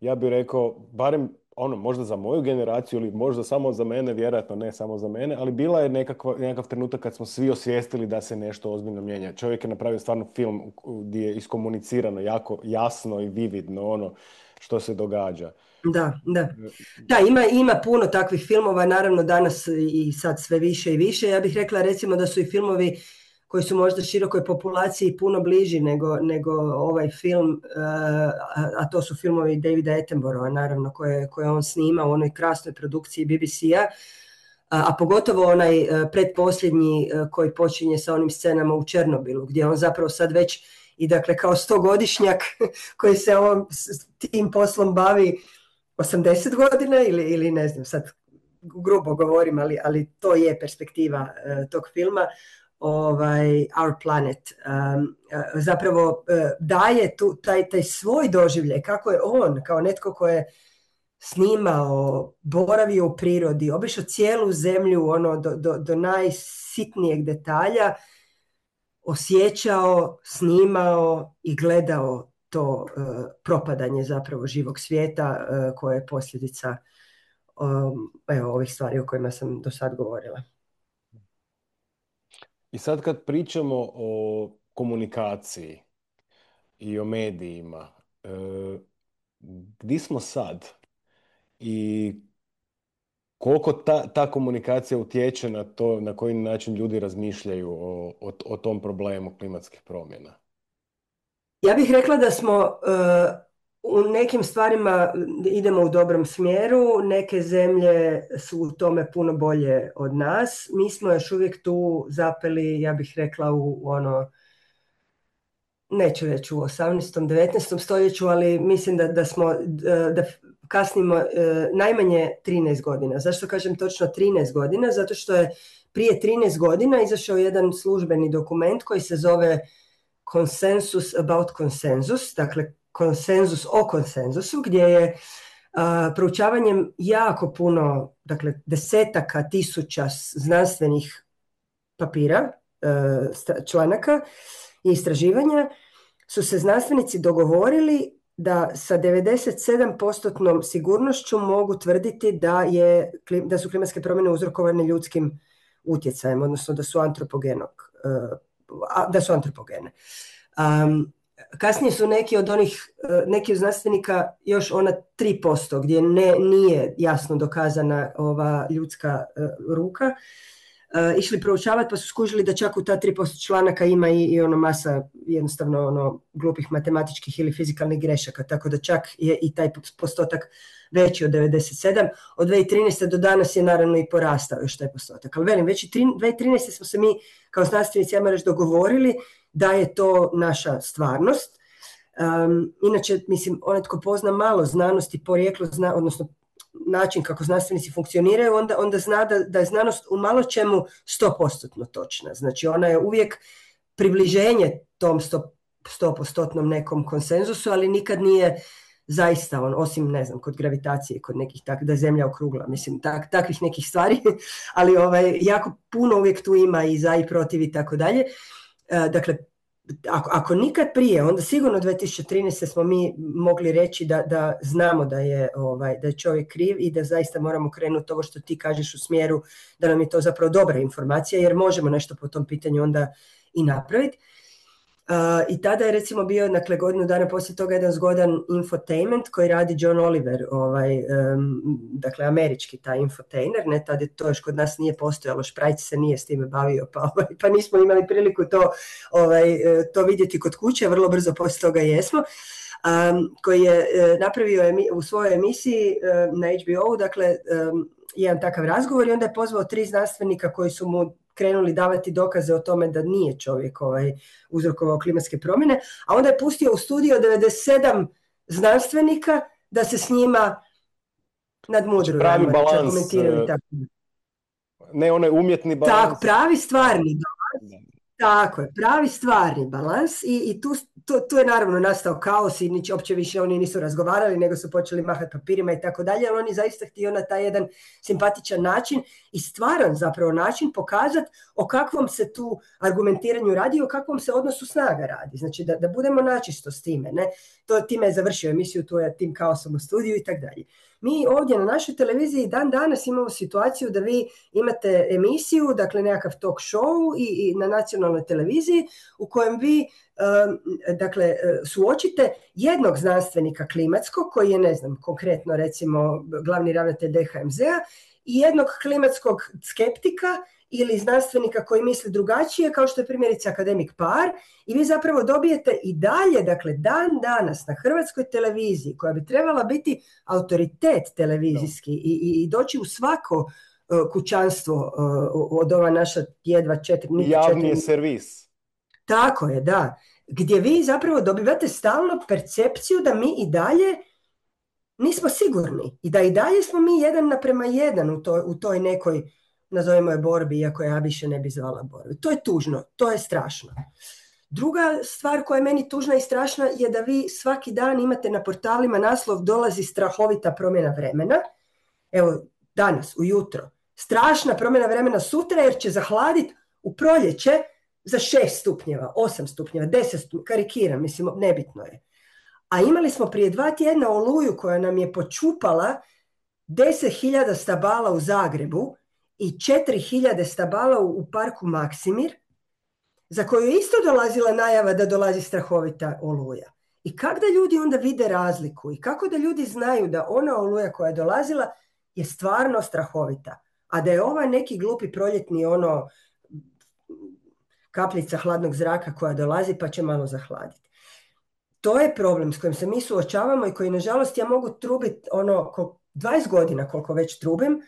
ja bih rekao, barem ono, možda za moju generaciju ili možda samo za mene, vjerojatno ne samo za mene, ali bila je nekakva, nekakav trenutak kad smo svi osvijestili da se nešto ozbiljno mijenja. Čovjek je napravio stvarno film gdje je iskomunicirano jako jasno i vividno ono što se događa. Da, da. Da, ima, ima puno takvih filmova, naravno danas i sad sve više i više. Ja bih rekla recimo da su i filmovi koji su možda širokoj populaciji puno bliži nego, nego ovaj film, a, a to su filmovi Davida Attenborougha, naravno, koje, koje on snima u onoj krasnoj produkciji B B C-a, a, a pogotovo onaj pretposljednji koji počinje sa onim scenama u Černobilu, gdje on zapravo sad već i dakle kao stogodišnjak koji se ovom, tim poslom bavi osamdeset godina ili, ili ne znam, sad grubo govorim, ali, ali to je perspektiva uh, tog filma, ovaj, Our Planet, um, uh, zapravo uh, daje tu, taj, taj svoj doživljaj, kako je on, kao netko ko je snimao, boravio u prirodi, obišao cijelu zemlju ono, do, do, do najsitnijeg detalja, osjećao, snimao i gledao to uh, propadanje zapravo živog svijeta uh, koje je posljedica um, evo, ovih stvari o kojima sam do sad govorila. I sad kad pričamo o komunikaciji i o medijima, uh, gdje smo sad i koliko ta, ta komunikacija utječe na to na koji način ljudi razmišljaju o, o, o tom problemu klimatskih promjena? Ja bih rekla da smo uh, u nekim stvarima idemo u dobrom smjeru, neke zemlje su u tome puno bolje od nas. Mi smo još uvijek tu zapeli, ja bih rekla, u, u ono, neću reći u osamnaestom, devetnaestom stoljeću, ali mislim da, da smo, da kasnimo uh, najmanje trinaest godina. Zašto kažem točno trinaest godina? Zato što je prije trinaest godina izašao jedan službeni dokument koji se zove Consensus about Consensus, dakle konsenzus o konsenzusu, gdje je uh, proučavanjem jako puno, dakle desetaka tisuća znanstvenih papira, uh, članaka i istraživanja, su se znanstvenici dogovorili da sa devedeset sedam posto sigurnošću mogu tvrditi da, je, da su klimatske promjene uzrokovane ljudskim utjecajem, odnosno da su antropogenog, uh, da su antropogene. Um, kasnije su neki od onih, neki od znanstvenika još ona tri posto gdje ne, nije jasno dokazana ova ljudska uh, ruka, uh, išli proučavati pa su skužili da čak u ta tri posto članaka ima i, i ono masa jednostavno ono glupih matematičkih ili fizikalnih grešaka, tako da čak je i taj postotak veći od devedeset sedam. Od dvije tisuće trinaeste do danas je naravno i porastao još taj postotak. Ali velim, već i dvije tisuće trinaeste smo se mi kao znanstvenici, ajmo reći, dogovorili da je to naša stvarnost. Um, inače, mislim, onaj tko pozna malo znanosti, porijeklo, zna, odnosno način kako znanstvenici funkcioniraju, onda, onda zna da, da je znanost u malo čemu sto posto točna. Znači, ona je uvijek približenje tom sto posto nekom konsenzusu, ali nikad nije zaista on, osim, ne znam, kod gravitacije, kod nekih tak, da je zemlja okrugla, mislim, tak, takvih nekih stvari, ali ovaj, jako puno uvijek tu ima i za i protiv i tako dalje. Dakle, ako, ako nikad prije, onda sigurno dvije tisuće trinaeste smo mi mogli reći da, da znamo da je, ovaj, da je čovjek kriv i da zaista moramo krenuti ovo što ti kažeš u smjeru da nam je to zapravo dobra informacija, jer možemo nešto po tom pitanju onda i napraviti. Uh, I tada je recimo bio, dakle, godinu dana poslije toga jedan zgodan infotainment koji radi John Oliver, ovaj, um, dakle, američki taj infotainer, ne, tada to još kod nas nije postojalo, Šprajc se nije s time bavio, pa, ovaj, pa nismo imali priliku to, ovaj, to vidjeti kod kuće, vrlo brzo poslije toga jesmo, um, koji je uh, napravio emi, u svojoj emisiji uh, na H B O-u, dakle, um, jedan takav razgovor i onda je pozvao tri znanstvenika koji su mu krenuli davati dokaze o tome da nije čovjek ovaj, uzrokovao klimatske promjene, a onda je pustio u studio devedeset sedam znanstvenika da se s njima nadmudruju. Pravi balans, ne onaj umjetni balans. Tako, pravi stvarni balans. Tako je, pravi stvarni balans i, i tu, tu, tu je naravno nastao kaos i nič, opće više oni nisu razgovarali, nego su počeli mahati papirima i tako dalje, ali oni zaista htio na taj jedan simpatičan način i stvaran zapravo način pokazati o kakvom se tu argumentiranju radi, o kakvom se odnosu snaga radi. Znači da, da budemo načisto s time. Ne? To, time je završio emisiju, tu je tim kaosom u studiju i tako dalje. Mi ovdje na našoj televiziji dan danas imamo situaciju da vi imate emisiju, dakle nekakav talk show i, i na nacionalnoj televiziji u kojem vi um, dakle, suočite jednog znanstvenika klimatskog koji je, ne znam, konkretno recimo glavni ravnatelj D H M Z-a i jednog klimatskog skeptika ili znanstvenika koji misli drugačije, kao što je primjerice akademik Par, i vi zapravo dobijete i dalje, dakle, dan danas na hrvatskoj televiziji, koja bi trebala biti autoritet televizijski i, i, i doći u svako uh, kućanstvo uh, od ova naša jedva četiri... Javni četiri... je servis. Tako je, da. Gdje vi zapravo dobivate stalno percepciju da mi i dalje nismo sigurni i da i dalje smo mi jedan naprema jedan u toj, u toj nekoj, nazovimo je, borbi, iako ja više ne bi zvala borbi. To je tužno, to je strašno. Druga stvar koja je meni tužna i strašna je da vi svaki dan imate na portalima naslov dolazi strahovita promjena vremena. Evo, danas, ujutro, strašna promjena vremena sutra jer će zahladiti u proljeće za šest stupnjeva, osam stupnjeva, deset stupnjeva, karikiram, mislim, nebitno je. A imali smo prije dva tjedna oluju koja nam je počupala deset hiljada stabala u Zagrebu i četiri hiljade stabala u parku Maksimir, za koju je isto dolazila najava da dolazi strahovita oluja. I kako da ljudi onda vide razliku i kako da ljudi znaju da ona oluja koja je dolazila je stvarno strahovita, a da je ova neki glupi proljetni ono kapljica hladnog zraka koja dolazi pa će malo zahladiti. To je problem s kojim se mi suočavamo i koji, nažalost, ja mogu trubiti ono dvadeset godina koliko već trubim,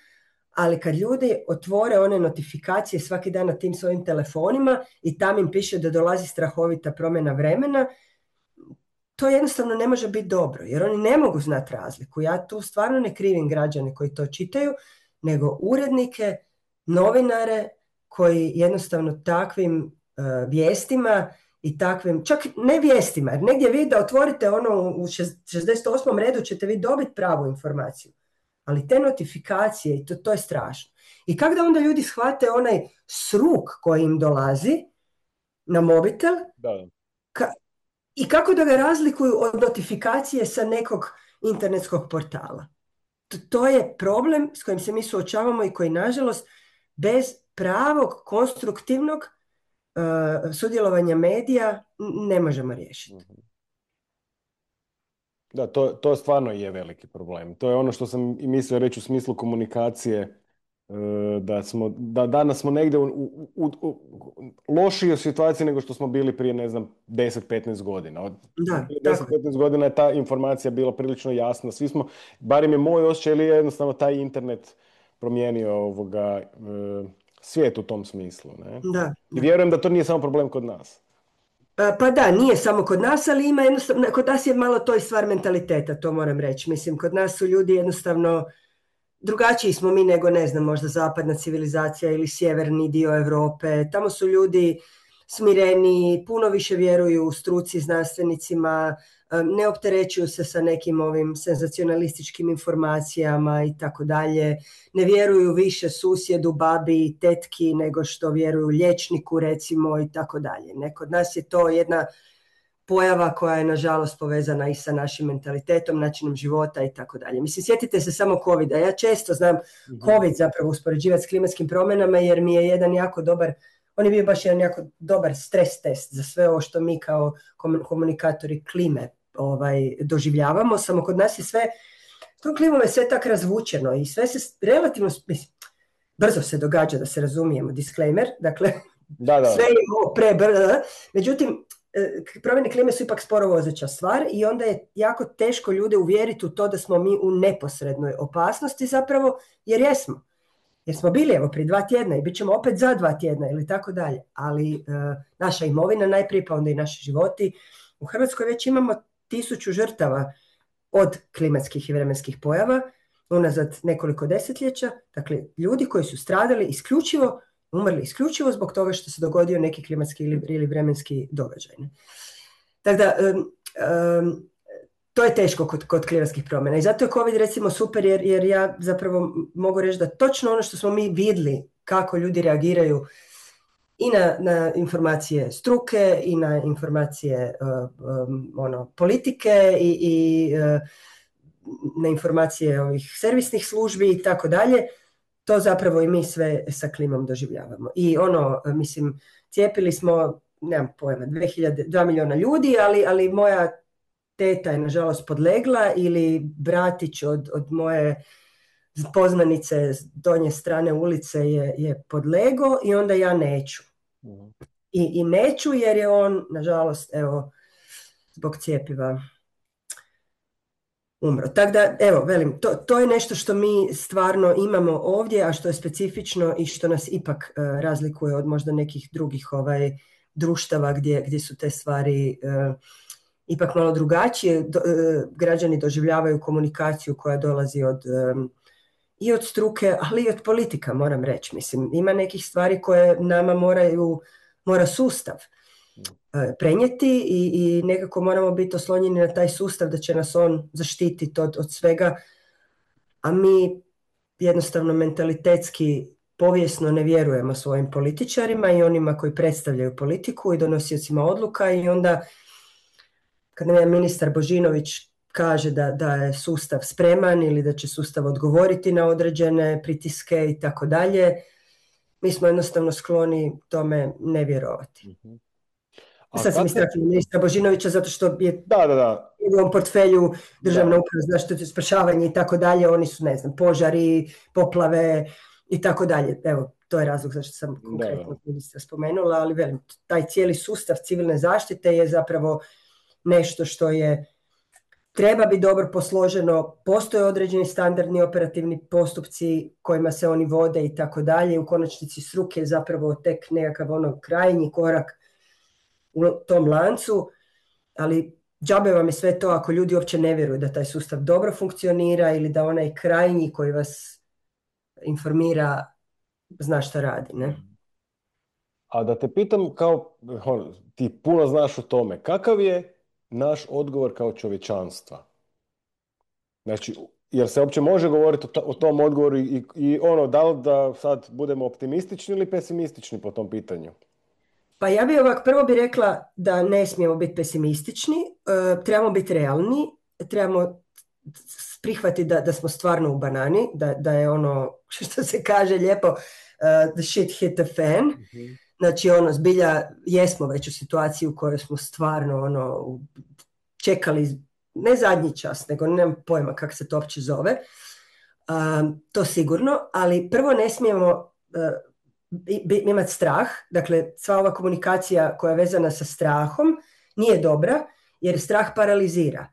ali kad ljudi otvore one notifikacije svaki dan na tim svojim telefonima i tam im piše da dolazi strahovita promjena vremena, to jednostavno ne može biti dobro, jer oni ne mogu znati razliku. Ja tu stvarno ne krivim građane koji to čitaju, nego urednike, novinare koji jednostavno takvim uh, vijestima i takvim, čak ne vijestima, jer negdje vi da otvorite ono u šezdeset osmom redu ćete vi dobiti pravu informaciju. Ali te notifikacije, i to, to je strašno. I kako da onda ljudi shvate onaj sruk koji im dolazi na mobitel da. Ka- i kako da ga razlikuju od notifikacije sa nekog internetskog portala. To, to je problem s kojim se mi suočavamo i koji, nažalost, bez pravog, konstruktivnog uh, sudjelovanja medija ne možemo riješiti. Da, to, to stvarno je veliki problem. To je ono što sam i mislio reći u smislu komunikacije da smo, da danas smo negdje u, u, u, u lošijoj situaciji nego što smo bili prije, ne znam, deset petnaest godina. Od Da, deset tako je. petnaest godina je ta informacija bila prilično jasna. Svi smo, barem je moj osjećaj, ili je jednostavno taj internet promijenio ovoga, e, svijet u tom smislu. Ne? Da, I da. vjerujem da to nije samo problem kod nas. Pa pa da, nije samo kod nas, ali ima jednostavno, kod nas je malo to i stvar mentaliteta, to moram reći. Mislim, kod nas su ljudi jednostavno, drugačiji smo mi nego, ne znam, možda zapadna civilizacija ili sjeverni dio Europe. Tamo su ljudi smireni, puno više vjeruju struci, znanstvenicima, ne opterećuju se sa nekim ovim senzacionalističkim informacijama i tako dalje. Ne vjeruju više susjedu, babi, tetki nego što vjeruju liječniku, recimo, i tako dalje. Ne, kod nas je to jedna pojava koja je nažalost povezana i sa našim mentalitetom, načinom života i tako dalje. Mislim, sjetite se samo covida. Ja često znam covid zapravo uspoređivati s klimatskim promjenama jer mi je jedan jako dobar, on je bio baš jedan jako dobar stres test za sve ovo što mi kao komunikatori klime ovaj, doživljavamo. Samo kod nas je sve, tom klimom je sve tako razvučeno i sve se relativno, mislim, brzo se događa, da se razumijemo, disclaimer, dakle, Da, da. sve je ovo prebrzo. Međutim, promjene klime su ipak sporo vozeća stvar i onda je jako teško ljude uvjeriti u to da smo mi u neposrednoj opasnosti zapravo, jer jesmo. Jer smo bili evo prije dva tjedna i bit ćemo opet za dva tjedna ili tako dalje. Ali e, naša imovina najprije, pa onda i naši životi. U Hrvatskoj već imamo tisuću žrtava od klimatskih i vremenskih pojava unazad nekoliko desetljeća. Dakle, ljudi koji su stradali isključivo umrli isključivo zbog toga što se dogodio neki klimatski ili, ili vremenski događaj. Tako da, um, um, to je teško kod, kod klimatskih promjena. I zato je COVID recimo super jer, jer ja zapravo mogu reći da točno ono što smo mi vidjeli kako ljudi reagiraju i na, na informacije struke i na informacije uh, um, ono, politike i, i uh, na informacije ovih servisnih službi i tako dalje. To zapravo i mi sve sa klimom doživljavamo. I ono, mislim, cijepili smo, nemam pojma, dva milijuna ljudi, ali, ali moja teta je nažalost podlegla ili bratić od, od moje poznanice s donje strane ulice je, je podlego i onda ja neću. I, I neću jer je on, nažalost, evo, zbog cjepiva umro. Tako da, evo, velim, to, to je nešto što mi stvarno imamo ovdje, a što je specifično i što nas ipak uh, razlikuje od možda nekih drugih ovaj, društava gdje, gdje su te stvari uh, ipak malo drugačije. Do, uh, građani doživljavaju komunikaciju koja dolazi od, um, i od struke, ali i od politika, moram reći. Mislim, ima nekih stvari koje nama moraju, mora sustav prenijeti i, i nekako moramo biti oslonjeni na taj sustav da će nas on zaštititi od, od svega, a mi jednostavno mentalitetski povijesno ne vjerujemo svojim političarima i onima koji predstavljaju politiku i donosiocima odluka i onda kad nam ministar Božinović kaže da, da je sustav spreman ili da će sustav odgovoriti na određene pritiske i tako dalje, mi smo jednostavno skloni tome ne vjerovati. Mm-hmm. Sad sam istaknula ministra Božinovića zato što je da, da, da. u ovom portfelju državna uprava za zaštitu i spašavanje i tako dalje, oni su, ne znam, požari, poplave i tako dalje. Evo, to je razlog zašto sam konkretno ministra spomenula, ali velim, taj cijeli sustav civilne zaštite je zapravo nešto što je treba biti dobro posloženo, postoje određeni standardni operativni postupci kojima se oni vode i tako dalje. U konačnici struke je zapravo tek nekakav ono krajnji korak u tom lancu, ali džabe vam je sve to ako ljudi uopće ne vjeruju da taj sustav dobro funkcionira ili da onaj krajnji koji vas informira zna šta radi, ne? A da te pitam, kao on, ti puno znaš o tome, kakav je naš odgovor kao čovječanstva? Znači, jer se uopće može govoriti o, to, o tom odgovoru i, i ono, da li da sad budemo optimistični ili pesimistični po tom pitanju? Pa ja bih ovak, prvo bih rekla da ne smijemo biti pesimistični, uh, trebamo biti realni, trebamo prihvatiti da, da smo stvarno u banani, da, da je ono, što se kaže lijepo, uh, the shit hit the fan. Mm-hmm. Znači, ono, zbilja, jesmo već u situaciji u kojoj smo stvarno, ono, čekali, ne zadnji čas, nego nemam pojma kako se to uopće zove. Um, to sigurno, ali prvo ne smijemo uh, imati strah, dakle sva ova komunikacija koja je vezana sa strahom nije dobra, jer strah paralizira.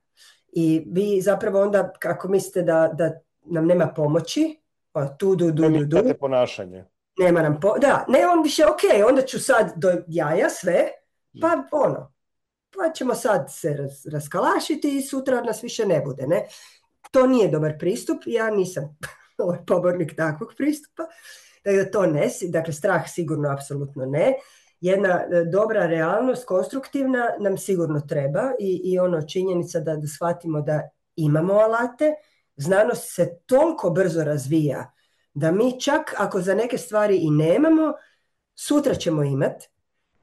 I vi zapravo onda, kako mislite da, da nam nema pomoći, tu, du, du, du, du, ponašanje. Nema nam po... Da, ne, on više, ok, onda ću sad do jaja sve, pa ono, pa ćemo sad se raz, raskalašiti i sutra nas više ne bude, ne? To nije dobar pristup, ja nisam pobornik takvog pristupa, dakle to ne, dakle strah sigurno apsolutno ne. Jedna dobra realnost, konstruktivna, nam sigurno treba i, i ono činjenica da, da shvatimo da imamo alate, znanost se toliko brzo razvija da mi čak ako za neke stvari i nemamo, sutra ćemo imati.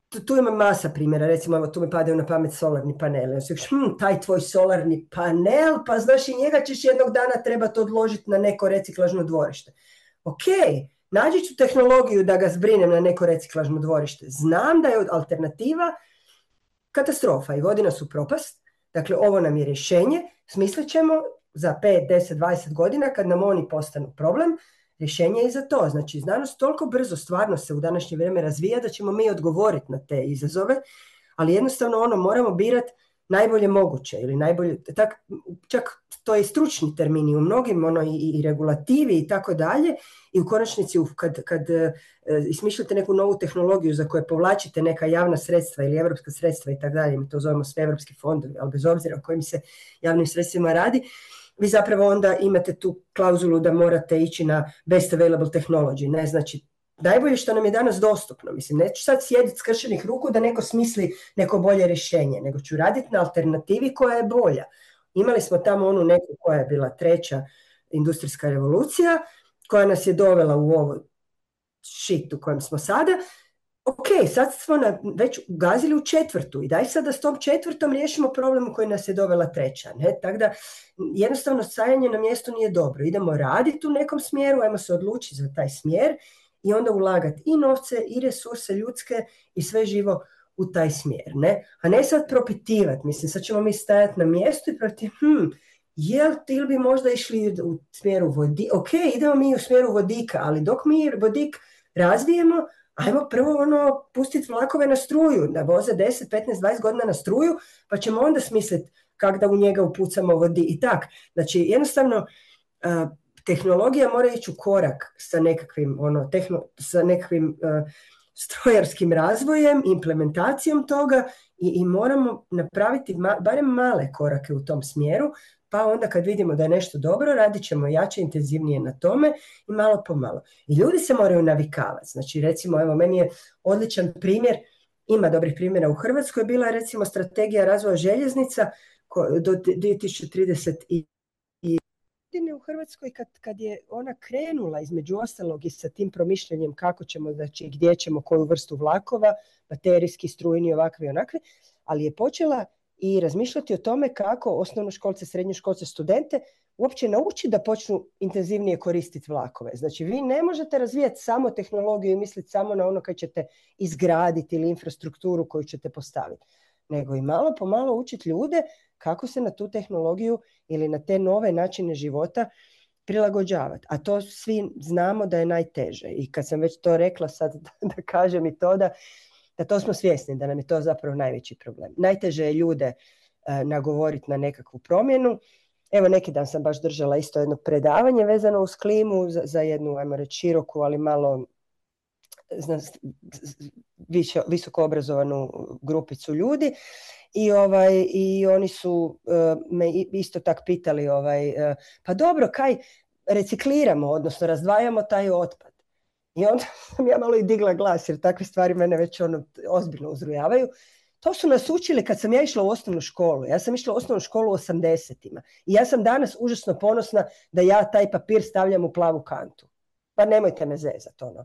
Tu, tu ima masa primjera, recimo evo, tu mi padaju na pamet solarni paneli. Hm, taj tvoj solarni panel, pa znaš i njega ćeš jednog dana trebati odložiti na neko reciklažno dvorište. Ok, nađi ću tehnologiju da ga zbrinem na neko reciklažno dvorište. Znam da je alternativa katastrofa i vodi nas u propast. Dakle, ovo nam je rješenje. Smislit ćemo za pet, deset, dvadeset godina kad nam oni postanu problem, rješenje je i za to. Znači, znanost toliko brzo stvarno se u današnje vrijeme razvija da ćemo mi odgovoriti na te izazove, ali jednostavno ono moramo birati najbolje moguće ili najbolje, tak, čak to je stručni termini u mnogim ono, i, i regulativi i tako dalje i u konačnici kad, kad e, ismišljate neku novu tehnologiju za koje povlačite neka javna sredstva ili evropska sredstva i tako dalje, mi to zovemo sve evropski fondovi, ali bez obzira o kojim se javnim sredstvima radi, vi zapravo onda imate tu klauzulu da morate ići na best available technology, ne, znači najbolje što nam je danas dostupno, mislim, neću sad sjediti skršenih ruku da neko smisli neko bolje rješenje, nego ću raditi na alternativi koja je bolja. Imali smo tamo onu neku koja je bila treća industrijska revolucija, koja nas je dovela u ovo shit u kojem smo sada. Ok, sad smo na, već ugazili u četvrtu i daj sad da s tom četvrtom riješimo problem u koji nas je dovela treća. Ne? Tako da jednostavno stajanje na mjestu nije dobro. Idemo raditi u nekom smjeru, ajmo se odlučiti za taj smjer i onda ulagati i novce i resurse ljudske i sve živo u taj smjer. Ne? A ne sad propitivati. Mislim, sad ćemo mi stajati na mjestu i protiv, hm, jel ili bi možda išli u smjeru vodika? Ok, idemo mi u smjeru vodika, ali dok mi vodik razvijemo, ajmo prvo ono, pustiti vlakove na struju, da voze deset, petnaest, dvadeset godina na struju, pa ćemo onda smisliti kako da u njega upucamo vodi i tak. Znači, jednostavno, uh, tehnologija mora ići u korak sa nekakvim, ono, tehno, sa nekakvim uh, strojarskim razvojem, implementacijom toga i, i moramo napraviti ma, barem male korake u tom smjeru, pa onda kad vidimo da je nešto dobro, radit ćemo jače, intenzivnije na tome i malo po malo. I ljudi se moraju navikavati. Znači, recimo, evo, meni je odličan primjer, ima dobrih primjera u Hrvatskoj, bila je recimo strategija razvoja željeznica do dvije tisuće trideset i u Hrvatskoj kad, kad je ona krenula između ostalog i sa tim promišljanjem kako ćemo, znači gdje ćemo, koju vrstu vlakova, baterijski, strujni, ovakvi i onakvi, ali je počela i razmišljati o tome kako osnovnoškolce, srednjoškolce, studente uopće nauči da počnu intenzivnije koristiti vlakove. Znači, vi ne možete razvijati samo tehnologiju i misliti samo na ono kad ćete izgraditi ili infrastrukturu koju ćete postaviti, nego i malo po malo učiti ljude kako se na tu tehnologiju ili na te nove načine života prilagođavati. A to svi znamo da je najteže. I kad sam već to rekla, sad da kažem i to da da to smo svjesni, da nam je to zapravo najveći problem. Najteže je ljude uh, nagovoriti na nekakvu promjenu. Evo, neki dan sam baš držala isto jedno predavanje vezano uz klimu za, za jednu, ajmo reći, široku, ali malo zna, više, visoko obrazovanu grupicu ljudi. I, ovaj, i oni su uh, me isto tak pitali, ovaj, uh, pa dobro, kaj recikliramo, odnosno razdvajamo taj otpad. I onda sam ja malo i digla glas, jer takve stvari mene već ono ozbiljno uzrujavaju. To su nas učili kad sam ja išla u osnovnu školu. Ja sam išla u osnovnu školu u osamdesetima. I ja sam danas užasno ponosna da ja taj papir stavljam u plavu kantu. Pa nemojte me zezati, ono.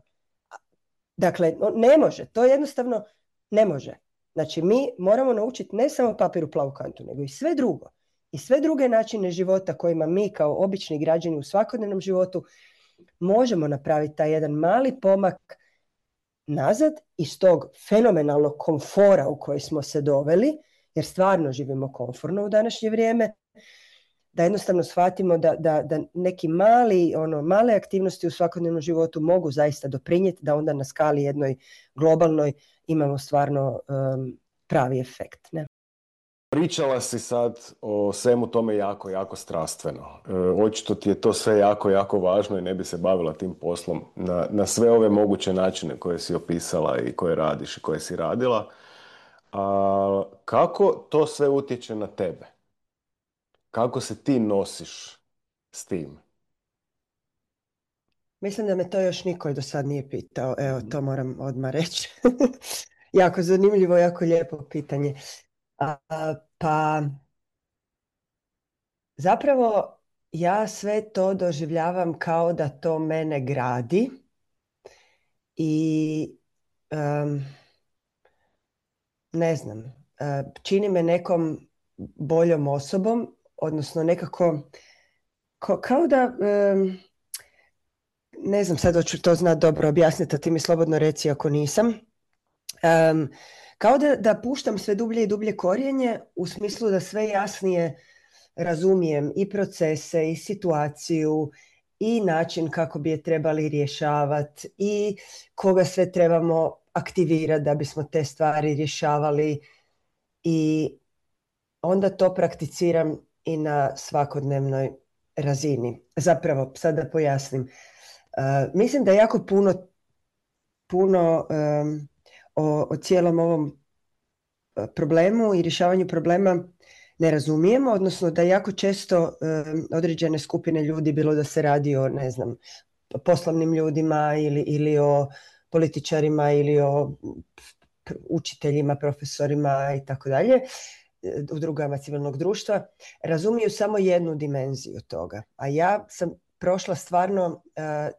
Dakle, ne može. To jednostavno ne može. Znači, mi moramo naučiti ne samo papir u plavu kantu, nego i sve drugo. I sve druge načine života kojima mi kao obični građani u svakodnevnom životu možemo napraviti taj jedan mali pomak nazad iz tog fenomenalnog komfora u koji smo se doveli, jer stvarno živimo komforno u današnje vrijeme, da jednostavno shvatimo da, da, da neki mali, ono, male aktivnosti u svakodnevnom životu mogu zaista doprinijeti da onda na skali jednoj globalnoj imamo stvarno um, pravi efekt. Ne? Pričala si sad o svemu tome jako, jako strastveno. E, očito ti je to sve jako, jako važno i ne bi se bavila tim poslom na, na sve ove moguće načine koje si opisala i koje radiš i koje si radila. A kako to sve utječe na tebe? Kako se ti nosiš s tim? Mislim da me to još niko do sad nije pitao. Evo, to moram odmah reći. Jako zanimljivo, jako lijepo pitanje. A, pa zapravo ja sve to doživljavam kao da to mene gradi i um, ne znam, uh, čini me nekom boljom osobom, odnosno nekako ko, kao da um, ne znam sad hoću to znat dobro objasniti, a ti mi slobodno reci ako nisam. Um, kao da, da puštam sve dublje i dublje korijenje u smislu da sve jasnije razumijem i procese i situaciju i način kako bi je trebali rješavati i koga sve trebamo aktivirati da bismo te stvari rješavali i onda to prakticiram i na svakodnevnoj razini. Zapravo, sad da pojasnim. Uh, mislim da jako puno, puno um, o, o cijelom ovom problemu i rješavanju problema ne razumijemo, odnosno da jako često um, određene skupine ljudi, bilo da se radi o, ne znam, poslovnim ljudima ili, ili o političarima ili o učiteljima, profesorima i tako dalje, udrugama civilnog društva, razumiju samo jednu dimenziju toga. A ja sam prošla stvarno uh,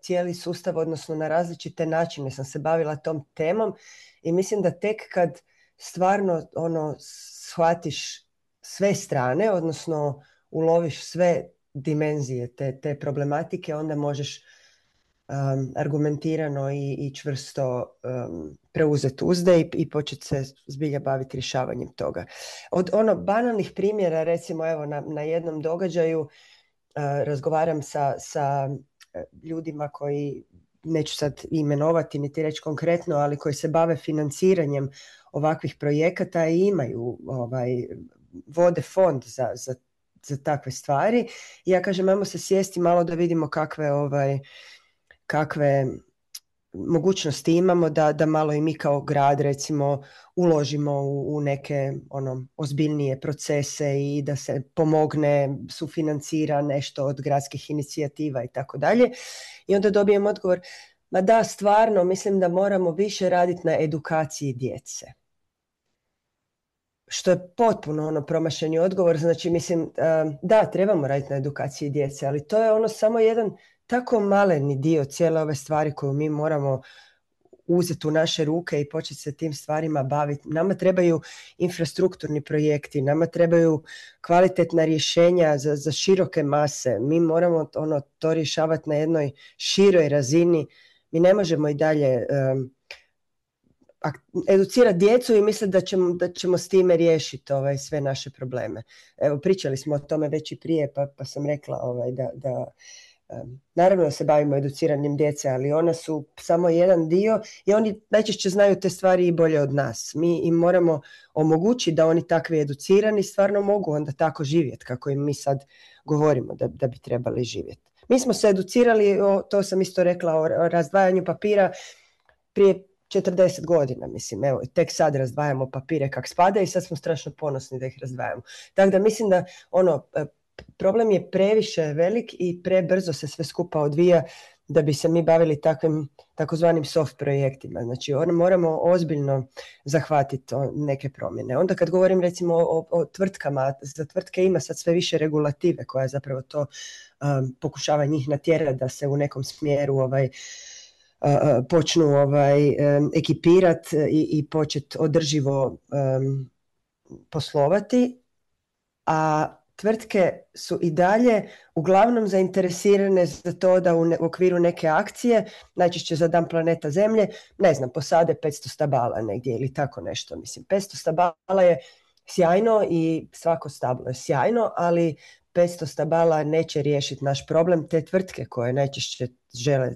cijeli sustav, odnosno na različite načine sam se bavila tom temom i mislim da tek kad stvarno ono shvatiš sve strane, odnosno uloviš sve dimenzije te, te problematike, onda možeš um, argumentirano i, i čvrsto um, preuzeti uzde i, i početi se zbilja baviti rješavanjem toga. Od ono banalnih primjera, recimo evo na, na jednom događaju uh, razgovaram sa, sa ljudima koji, neću sad imenovati niti reći konkretno, ali koji se bave financiranjem ovakvih projekata i imaju ovaj, vode fond za, za, za takve stvari. I ja kažem, ajmo se sjesti malo da vidimo kakve, ovaj, kakve mogućnosti imamo da, da malo i mi kao grad recimo uložimo u, u neke ono, ozbiljnije procese i da se pomogne, sufinancira nešto od gradskih inicijativa i tako dalje. I onda dobijem odgovor, ma da, stvarno, mislim da moramo više raditi na edukaciji djece. Što je potpuno ono promašeni odgovor, znači mislim, da, trebamo raditi na edukaciji djece, ali to je ono samo jedan tako maleni dio cijele ove stvari koju mi moramo uzeti u naše ruke i početi se tim stvarima baviti. Nama trebaju infrastrukturni projekti, nama trebaju kvalitetna rješenja za, za široke mase. Mi moramo ono, to rješavati na jednoj široj razini. Mi ne možemo i dalje um, educirati djecu i misliti da ćemo, da ćemo s time riješiti ovaj, sve naše probleme. Evo, pričali smo o tome već i prije, pa, pa sam rekla ovaj, da... da naravno da se bavimo educiranjem djece, ali ona su samo jedan dio i oni najčešće znaju te stvari i bolje od nas. Mi im moramo omogućiti da oni takvi educirani stvarno mogu onda tako živjeti kako im mi sad govorimo da, da bi trebali živjeti. Mi smo se educirali, o, to sam isto rekla, o, o razdvajanju papira prije četrdeset godina, mislim, evo, tek sad razdvajamo papire kak spada i sad smo strašno ponosni da ih razdvajamo. Tako da mislim da ono, problem je previše velik i prebrzo se sve skupa odvija da bi se mi bavili takvim takozvanim soft projektima. Znači moramo ozbiljno zahvatiti neke promjene. Onda kad govorim recimo o, o tvrtkama, za tvrtke ima sad sve više regulative koja zapravo to um, pokušava njih natjerati da se u nekom smjeru ovaj, uh, počnu ovaj, um, ekipirati i, i početi održivo um, poslovati, a tvrtke su i dalje uglavnom zainteresirane za to da u, ne, u okviru neke akcije, najčešće za Dan planeta Zemlje, ne znam, posade petsto stabala negdje ili tako nešto. Mislim, petsto stabala je sjajno i svako stablo je sjajno, ali petsto stabala neće riješiti naš problem. Te tvrtke koje najčešće žele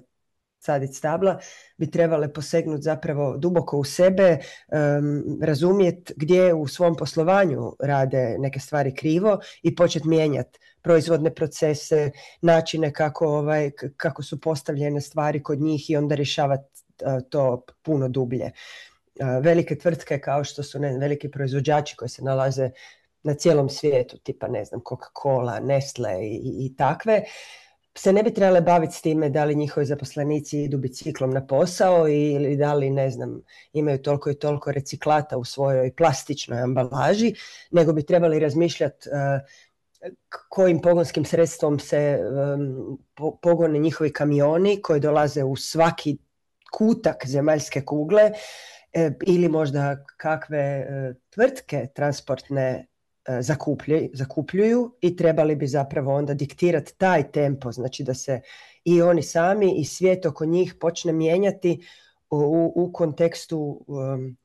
saditi stabla bi trebale posegnuti zapravo duboko u sebe, um, razumjeti gdje u svom poslovanju rade neke stvari krivo i početi mijenjati proizvodne procese, načine kako, ovaj, kako su postavljene stvari kod njih i onda rješavati uh, to puno dublje. Uh, velike tvrtke kao što su ne, veliki proizvođači koji se nalaze na cijelom svijetu, tipa ne znam Coca-Cola, Nestle i, i, i takve, se ne bi trebale baviti s time da li njihovi zaposlenici idu biciklom na posao ili da li, ne znam, imaju toliko i toliko reciklata u svojoj plastičnoj ambalaži, nego bi trebali razmišljati uh, kojim pogonskim sredstvom se um, po, pogone njihovi kamioni koji dolaze u svaki kutak zemaljske kugle, e, ili možda kakve e, tvrtke transportne Zakupljuju, zakupljuju i trebali bi zapravo onda diktirati taj tempo, znači da se i oni sami i svijet oko njih počne mijenjati u, u kontekstu um,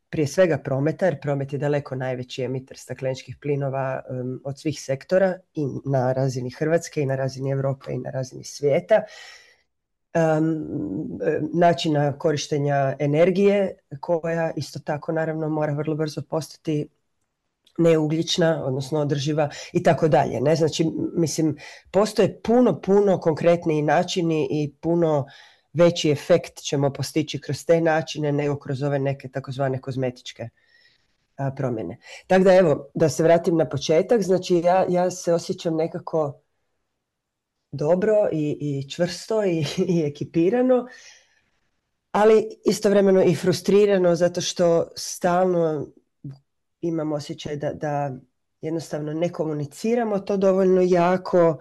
prije svega prometa, jer promet je daleko najveći emiter stakleničkih plinova um, od svih sektora i na razini Hrvatske i na razini Europe i na razini svijeta. Um, načina korištenja energije koja isto tako naravno mora vrlo brzo postati neugljična, odnosno održiva i tako dalje. Ne, znači, mislim, postoje puno, puno konkretniji načini i puno veći efekt ćemo postići kroz te načine nego kroz ove neke takozvane kozmetičke a, promjene. Tako da evo, da se vratim na početak, znači ja, ja se osjećam nekako dobro i, i čvrsto i, i ekipirano, ali istovremeno i frustrirano zato što stalno imam osjećaj da, da jednostavno ne komuniciramo to dovoljno jako,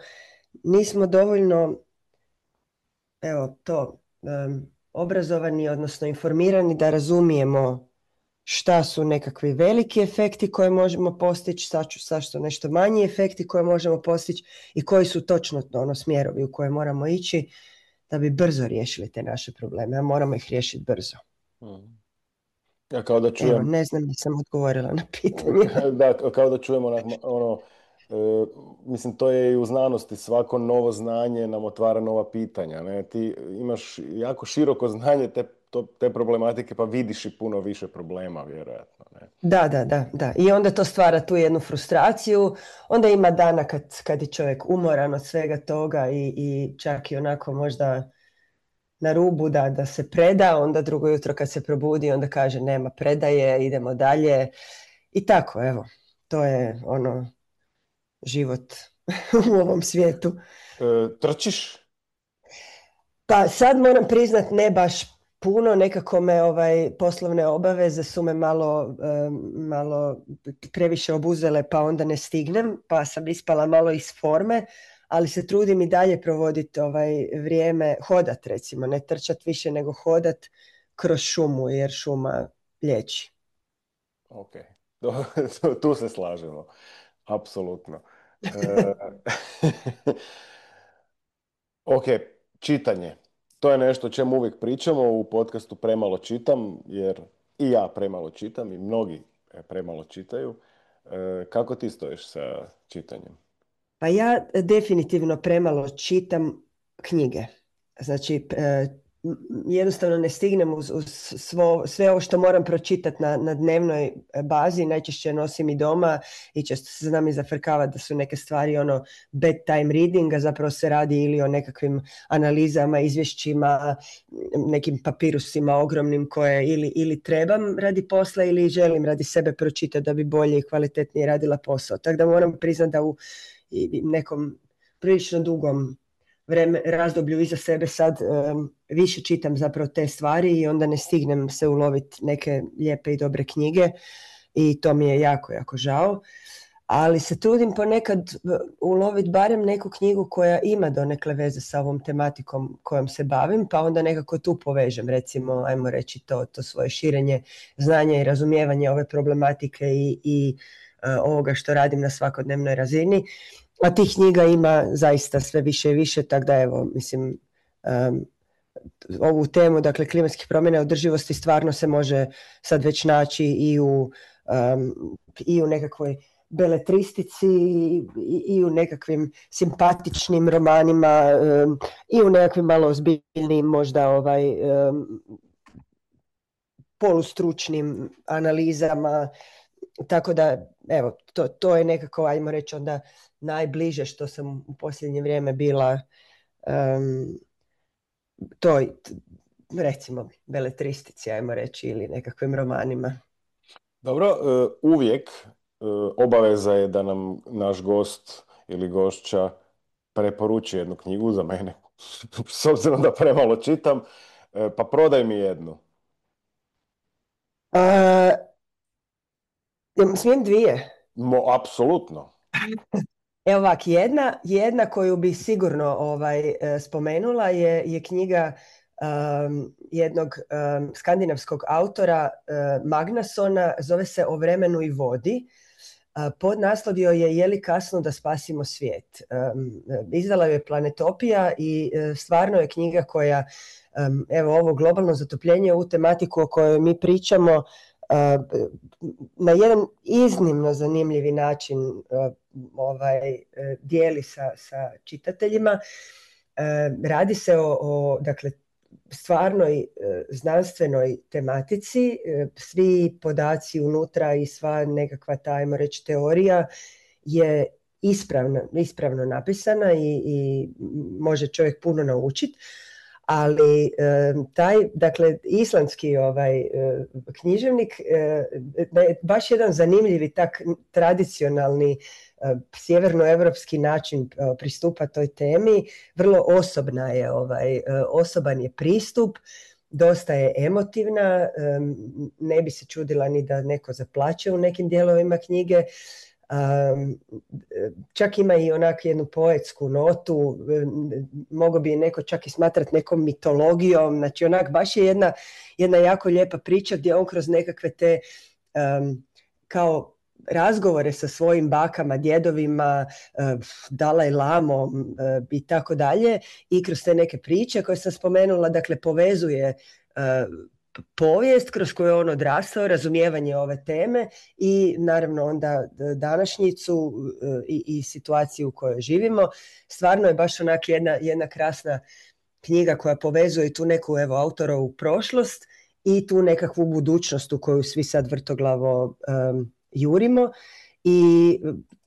nismo dovoljno evo, to, um, obrazovani, odnosno informirani da razumijemo šta su nekakvi veliki efekti koje možemo postići, šta su nešto manji efekti koje možemo postići i koji su točno ono smjerovi u koje moramo ići da bi brzo riješili te naše probleme, a moramo ih riješiti brzo. Hmm. Ja kao da čujem... Evo, ne znam da sam odgovorila na pitanje. Da, kao da čujemo ono, e, mislim, to je i u znanosti, svako novo znanje nam otvara nova pitanja. Ne? Ti imaš jako široko znanje te, to, te problematike, pa vidiš i puno više problema, vjerojatno. Ne? Da, da, da, da. I onda to stvara tu jednu frustraciju. Onda ima dana kad, kad je čovjek umoran od svega toga i, i čak i onako možda na rubu da, da se preda, onda drugo jutro kad se probudi onda kaže nema predaje, idemo dalje i tako, evo, to je ono život u ovom svijetu. E, trčiš? Pa sad moram priznat ne baš puno, nekako me ovaj, poslovne obaveze su me malo, um, malo previše obuzele pa onda ne stignem, pa sam ispala malo iz forme, ali se trudim i dalje provoditi ovaj vrijeme, hodat recimo, ne trčat više nego hodat kroz šumu, jer šuma liječi. Ok, tu se slažemo, apsolutno. E, ok, čitanje. To je nešto o čemu uvijek pričamo u podcastu Premalo čitam, jer i ja premalo čitam i mnogi premalo čitaju. E, kako ti stojiš sa čitanjem? Pa ja definitivno premalo čitam knjige. Znači, e, jednostavno ne stignem uz, uz svo, sve ovo što moram pročitati na, na dnevnoj bazi, najčešće nosim i doma i često se znam i zafrkavati da su neke stvari ono bedtime reading, a zapravo se radi ili o nekakvim analizama, izvješćima, nekim papirusima ogromnim koje ili, ili trebam radi posla ili želim radi sebe pročitati da bi bolje i kvalitetnije radila posao. Tako da moram priznati da u i nekom prilično dugom vreme, razdoblju iza sebe sad um, više čitam zapravo te stvari i onda ne stignem se uloviti neke lijepe i dobre knjige i to mi je jako, jako žao. Ali se trudim ponekad uloviti barem neku knjigu koja ima donekle veze sa ovom tematikom kojom se bavim, pa onda nekako tu povežem, recimo, ajmo reći to, to svoje širenje znanja i razumijevanje ove problematike i, i uh, ovoga što radim na svakodnevnoj razini. A tih knjiga ima zaista sve više i više, tako da evo, mislim, um, ovu temu, dakle, klimatskih promjena i održivosti stvarno se može sad već naći i u, um, i u nekakvoj beletristici i, i u nekakvim simpatičnim romanima um, i u nekakvim malo ozbiljnim možda ovaj um, polustručnim analizama, tako da evo to, to je nekako, ajmo reći onda najbliže što sam u posljednje vrijeme bila um, toj recimo beletristici, ajmo reći, ili nekakvim romanima. Dobro, e, uvijek e, obaveza je da nam naš gost ili gošća preporuči jednu knjigu za mene, s obzirom da premalo čitam, e, pa prodaj mi jednu. A, smijem dvije? Mo, apsolutno. Evo ovak, jedna, jedna koju bi sigurno ovaj, spomenula je, je knjiga um, jednog um, skandinavskog autora uh, Magnasona, zove se O vremenu i vodi. Uh, podnaslovio je Je li kasno da spasimo svijet. Um, izdala je Planetopija i uh, stvarno je knjiga koja, um, evo ovo globalno zatopljenje, u tematiku o kojoj mi pričamo, Uh, na jedan iznimno zanimljivi način uh, ovaj, uh, dijeli sa, sa čitateljima. Uh, radi se o, o dakle, stvarnoj uh, znanstvenoj tematici. Uh, svi podaci unutra i sva nekakva, tajmo reći, teorija je ispravno, ispravno napisana i, i može čovjek puno naučiti. Ali taj, dakle, islandski ovaj književnik je baš jedan zanimljivi tak tradicionalni sjevernoevropski način pristupa toj temi. Vrlo osobna je, ovaj, osoban je pristup, dosta je emotivna, ne bi se čudila ni da neko zaplače u nekim dijelovima knjige. Um, čak ima i onak jednu poetsku notu, mogao bi je neko čak i smatrati nekom mitologijom, znači onak baš je jedna, jedna jako lijepa priča gdje on kroz nekakve te um, kao razgovore sa svojim bakama, djedovima, uh, Dalaj Lamom uh, i tako dalje, i kroz te neke priče koje sam spomenula, dakle povezuje uh, povijest kroz koju je on odrastao, razumijevanje ove teme i naravno onda današnjicu i, i situaciju u kojoj živimo. Stvarno je baš onak jedna, jedna krasna knjiga koja povezuje tu neku, evo, autorovu prošlost i tu nekakvu budućnost u koju svi sad vrtoglavo um, jurimo. I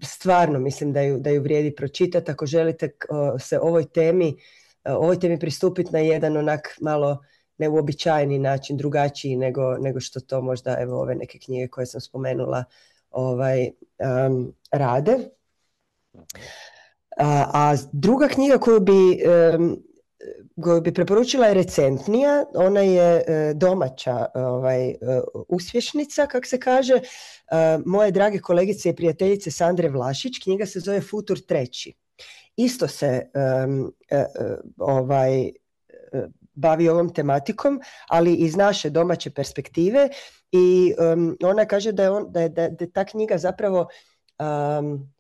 stvarno mislim da ju, da ju vrijedi pročitati ako želite uh, se ovoj temi, uh, ovoj temi pristupiti na jedan onak malo neuobičajeni način, drugačiji nego, nego što to možda, evo, ove neke knjige koje sam spomenula ovaj, um, rade. A, a druga knjiga koju bi, um, koju bi preporučila je recentnija, ona je uh, domaća ovaj, uh, uspješnica, kak se kaže, uh, moje drage kolegice i prijateljice Sandre Vlašić. Knjiga se zove Futur treći. Isto se um, uh, uh, ovaj uh, bavi ovom tematikom, ali iz naše domaće perspektive, i um, ona kaže da je, on, da, je, da je ta knjiga zapravo um,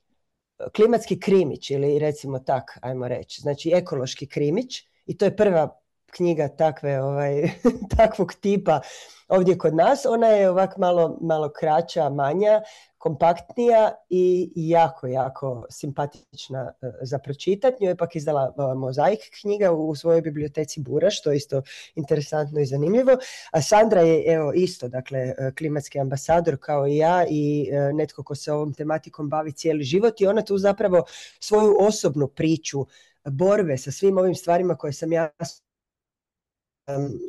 klimatski krimić, ili recimo tak, ajmo reći, znači ekološki krimić, i to je prva knjiga takve, ovaj, takvog tipa ovdje kod nas. Ona je ovak malo, malo kraća, manja, kompaktnija i jako, jako simpatična za pročitati. Nju je pak izdala Mozaik knjiga u svojoj biblioteci Bura, što je isto interesantno i zanimljivo. A Sandra je, evo, isto, dakle, klimatski ambasador kao i ja i netko ko se ovom tematikom bavi cijeli život, i ona tu zapravo svoju osobnu priču borbe sa svim ovim stvarima koje sam ja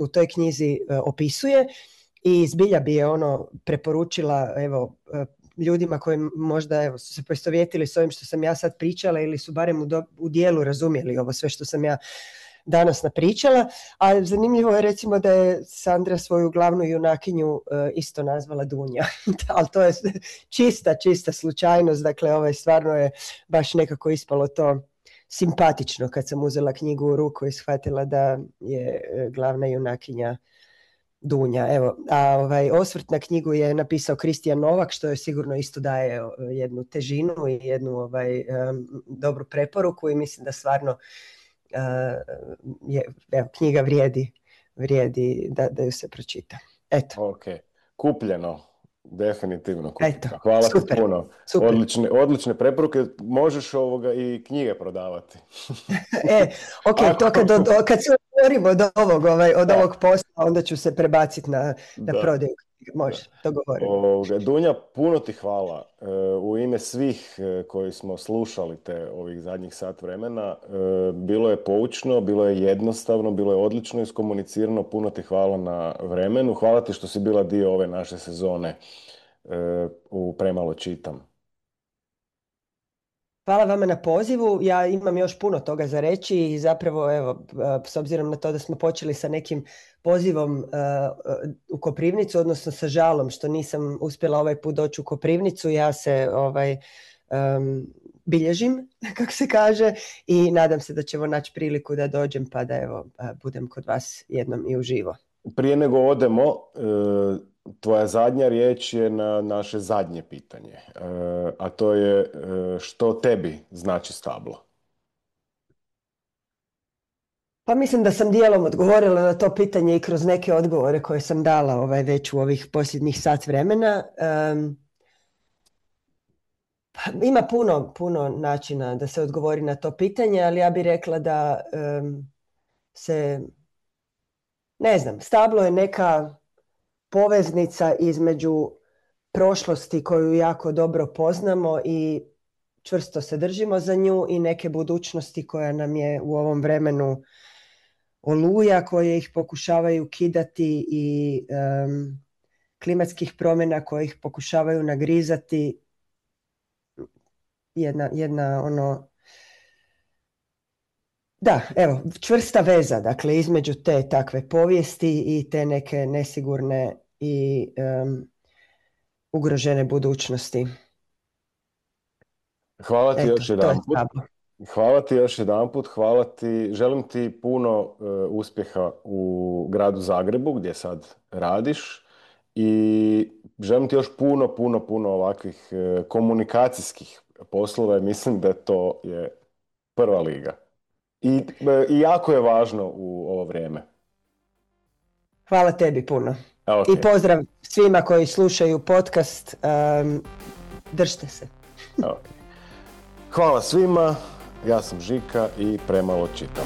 u toj knjizi opisuje, i zbilja bi je ono preporučila, evo, ljudima koji možda, evo, su se poistovjetili s ovim što sam ja sad pričala, ili su barem u, do, u dijelu razumjeli ovo sve što sam ja danas napričala. A zanimljivo je recimo da je Sandra svoju glavnu junakinju uh, isto nazvala Dunja. Ali to je čista, čista slučajnost. Dakle, ovaj, stvarno je baš nekako ispalo to simpatično kad sam uzela knjigu u ruku i shvatila da je glavna junakinja Dunja. Evo, a ovaj osvrt na knjigu je napisao Kristijan Novak, što je sigurno isto daje jednu težinu i jednu ovaj, um, dobru preporuku, i mislim da stvarno uh, je, evo, knjiga vrijedi, vrijedi da, da ju se pročita. Eto. Ok, kupljeno. definitivno. Eto, Hvala super, ti puno. super. Odlične, odlične preporuke. Možeš ovoga i knjige prodavati. E, ok, Ako... to kad, do, kad se odgovorimo od ovog, ovaj, od ovog posla, onda ću se prebaciti na, na prodaju. Može, dogovorimo. Ovoga, Dunja, puno ti hvala. E, u ime svih e, koji smo slušali te ovih zadnjih sat vremena, e, bilo je poučno, bilo je jednostavno, bilo je odlično iskomunicirano. Puno ti hvala na vremenu. Hvala ti što si bila dio ove naše sezone e, u Premalo čitam. Hvala vama na pozivu. Ja imam još puno toga za reći i zapravo, evo, s obzirom na to da smo počeli sa nekim pozivom uh, u Koprivnicu, odnosno sa žalom što nisam uspjela ovaj put doći u Koprivnicu, ja se ovaj, um, bilježim, kako se kaže, i nadam se da ćemo naći priliku da dođem pa da evo, budem kod vas jednom i uživo. Prije nego odemo, e, tvoja zadnja riječ je na naše zadnje pitanje, e, a to je e, što tebi znači stablo? Pa mislim da sam dijelom odgovorila na to pitanje i kroz neke odgovore koje sam dala ovaj, već u ovih posljednjih sat vremena. Um, pa ima puno, puno načina da se odgovori na to pitanje, ali ja bih rekla da um, se, ne znam, stablo je neka poveznica između prošlosti koju jako dobro poznamo i čvrsto se držimo za nju i neke budućnosti koja nam je u ovom vremenu oluja, koje ih pokušavaju kidati i um, klimatskih promjena koje ih pokušavaju nagrizati. Jedna, jedna ono... Da, evo, čvrsta veza, dakle, između te takve povijesti i te neke nesigurne i um, ugrožene budućnosti. Hvala ti Eto, još jedan put. je Hvala ti još jedan put. Hvala ti. Želim ti puno uh, uspjeha u gradu Zagrebu gdje sad radiš i želim ti još puno, puno, puno ovakvih uh, komunikacijskih poslova i mislim da to je prva liga. I, uh, I jako je važno u ovo vrijeme. Hvala tebi puno. Okay. I pozdrav svima koji slušaju podcast. Um, držite se. Okay. Hvala svima. Ja sam Žika i Premalo čitam.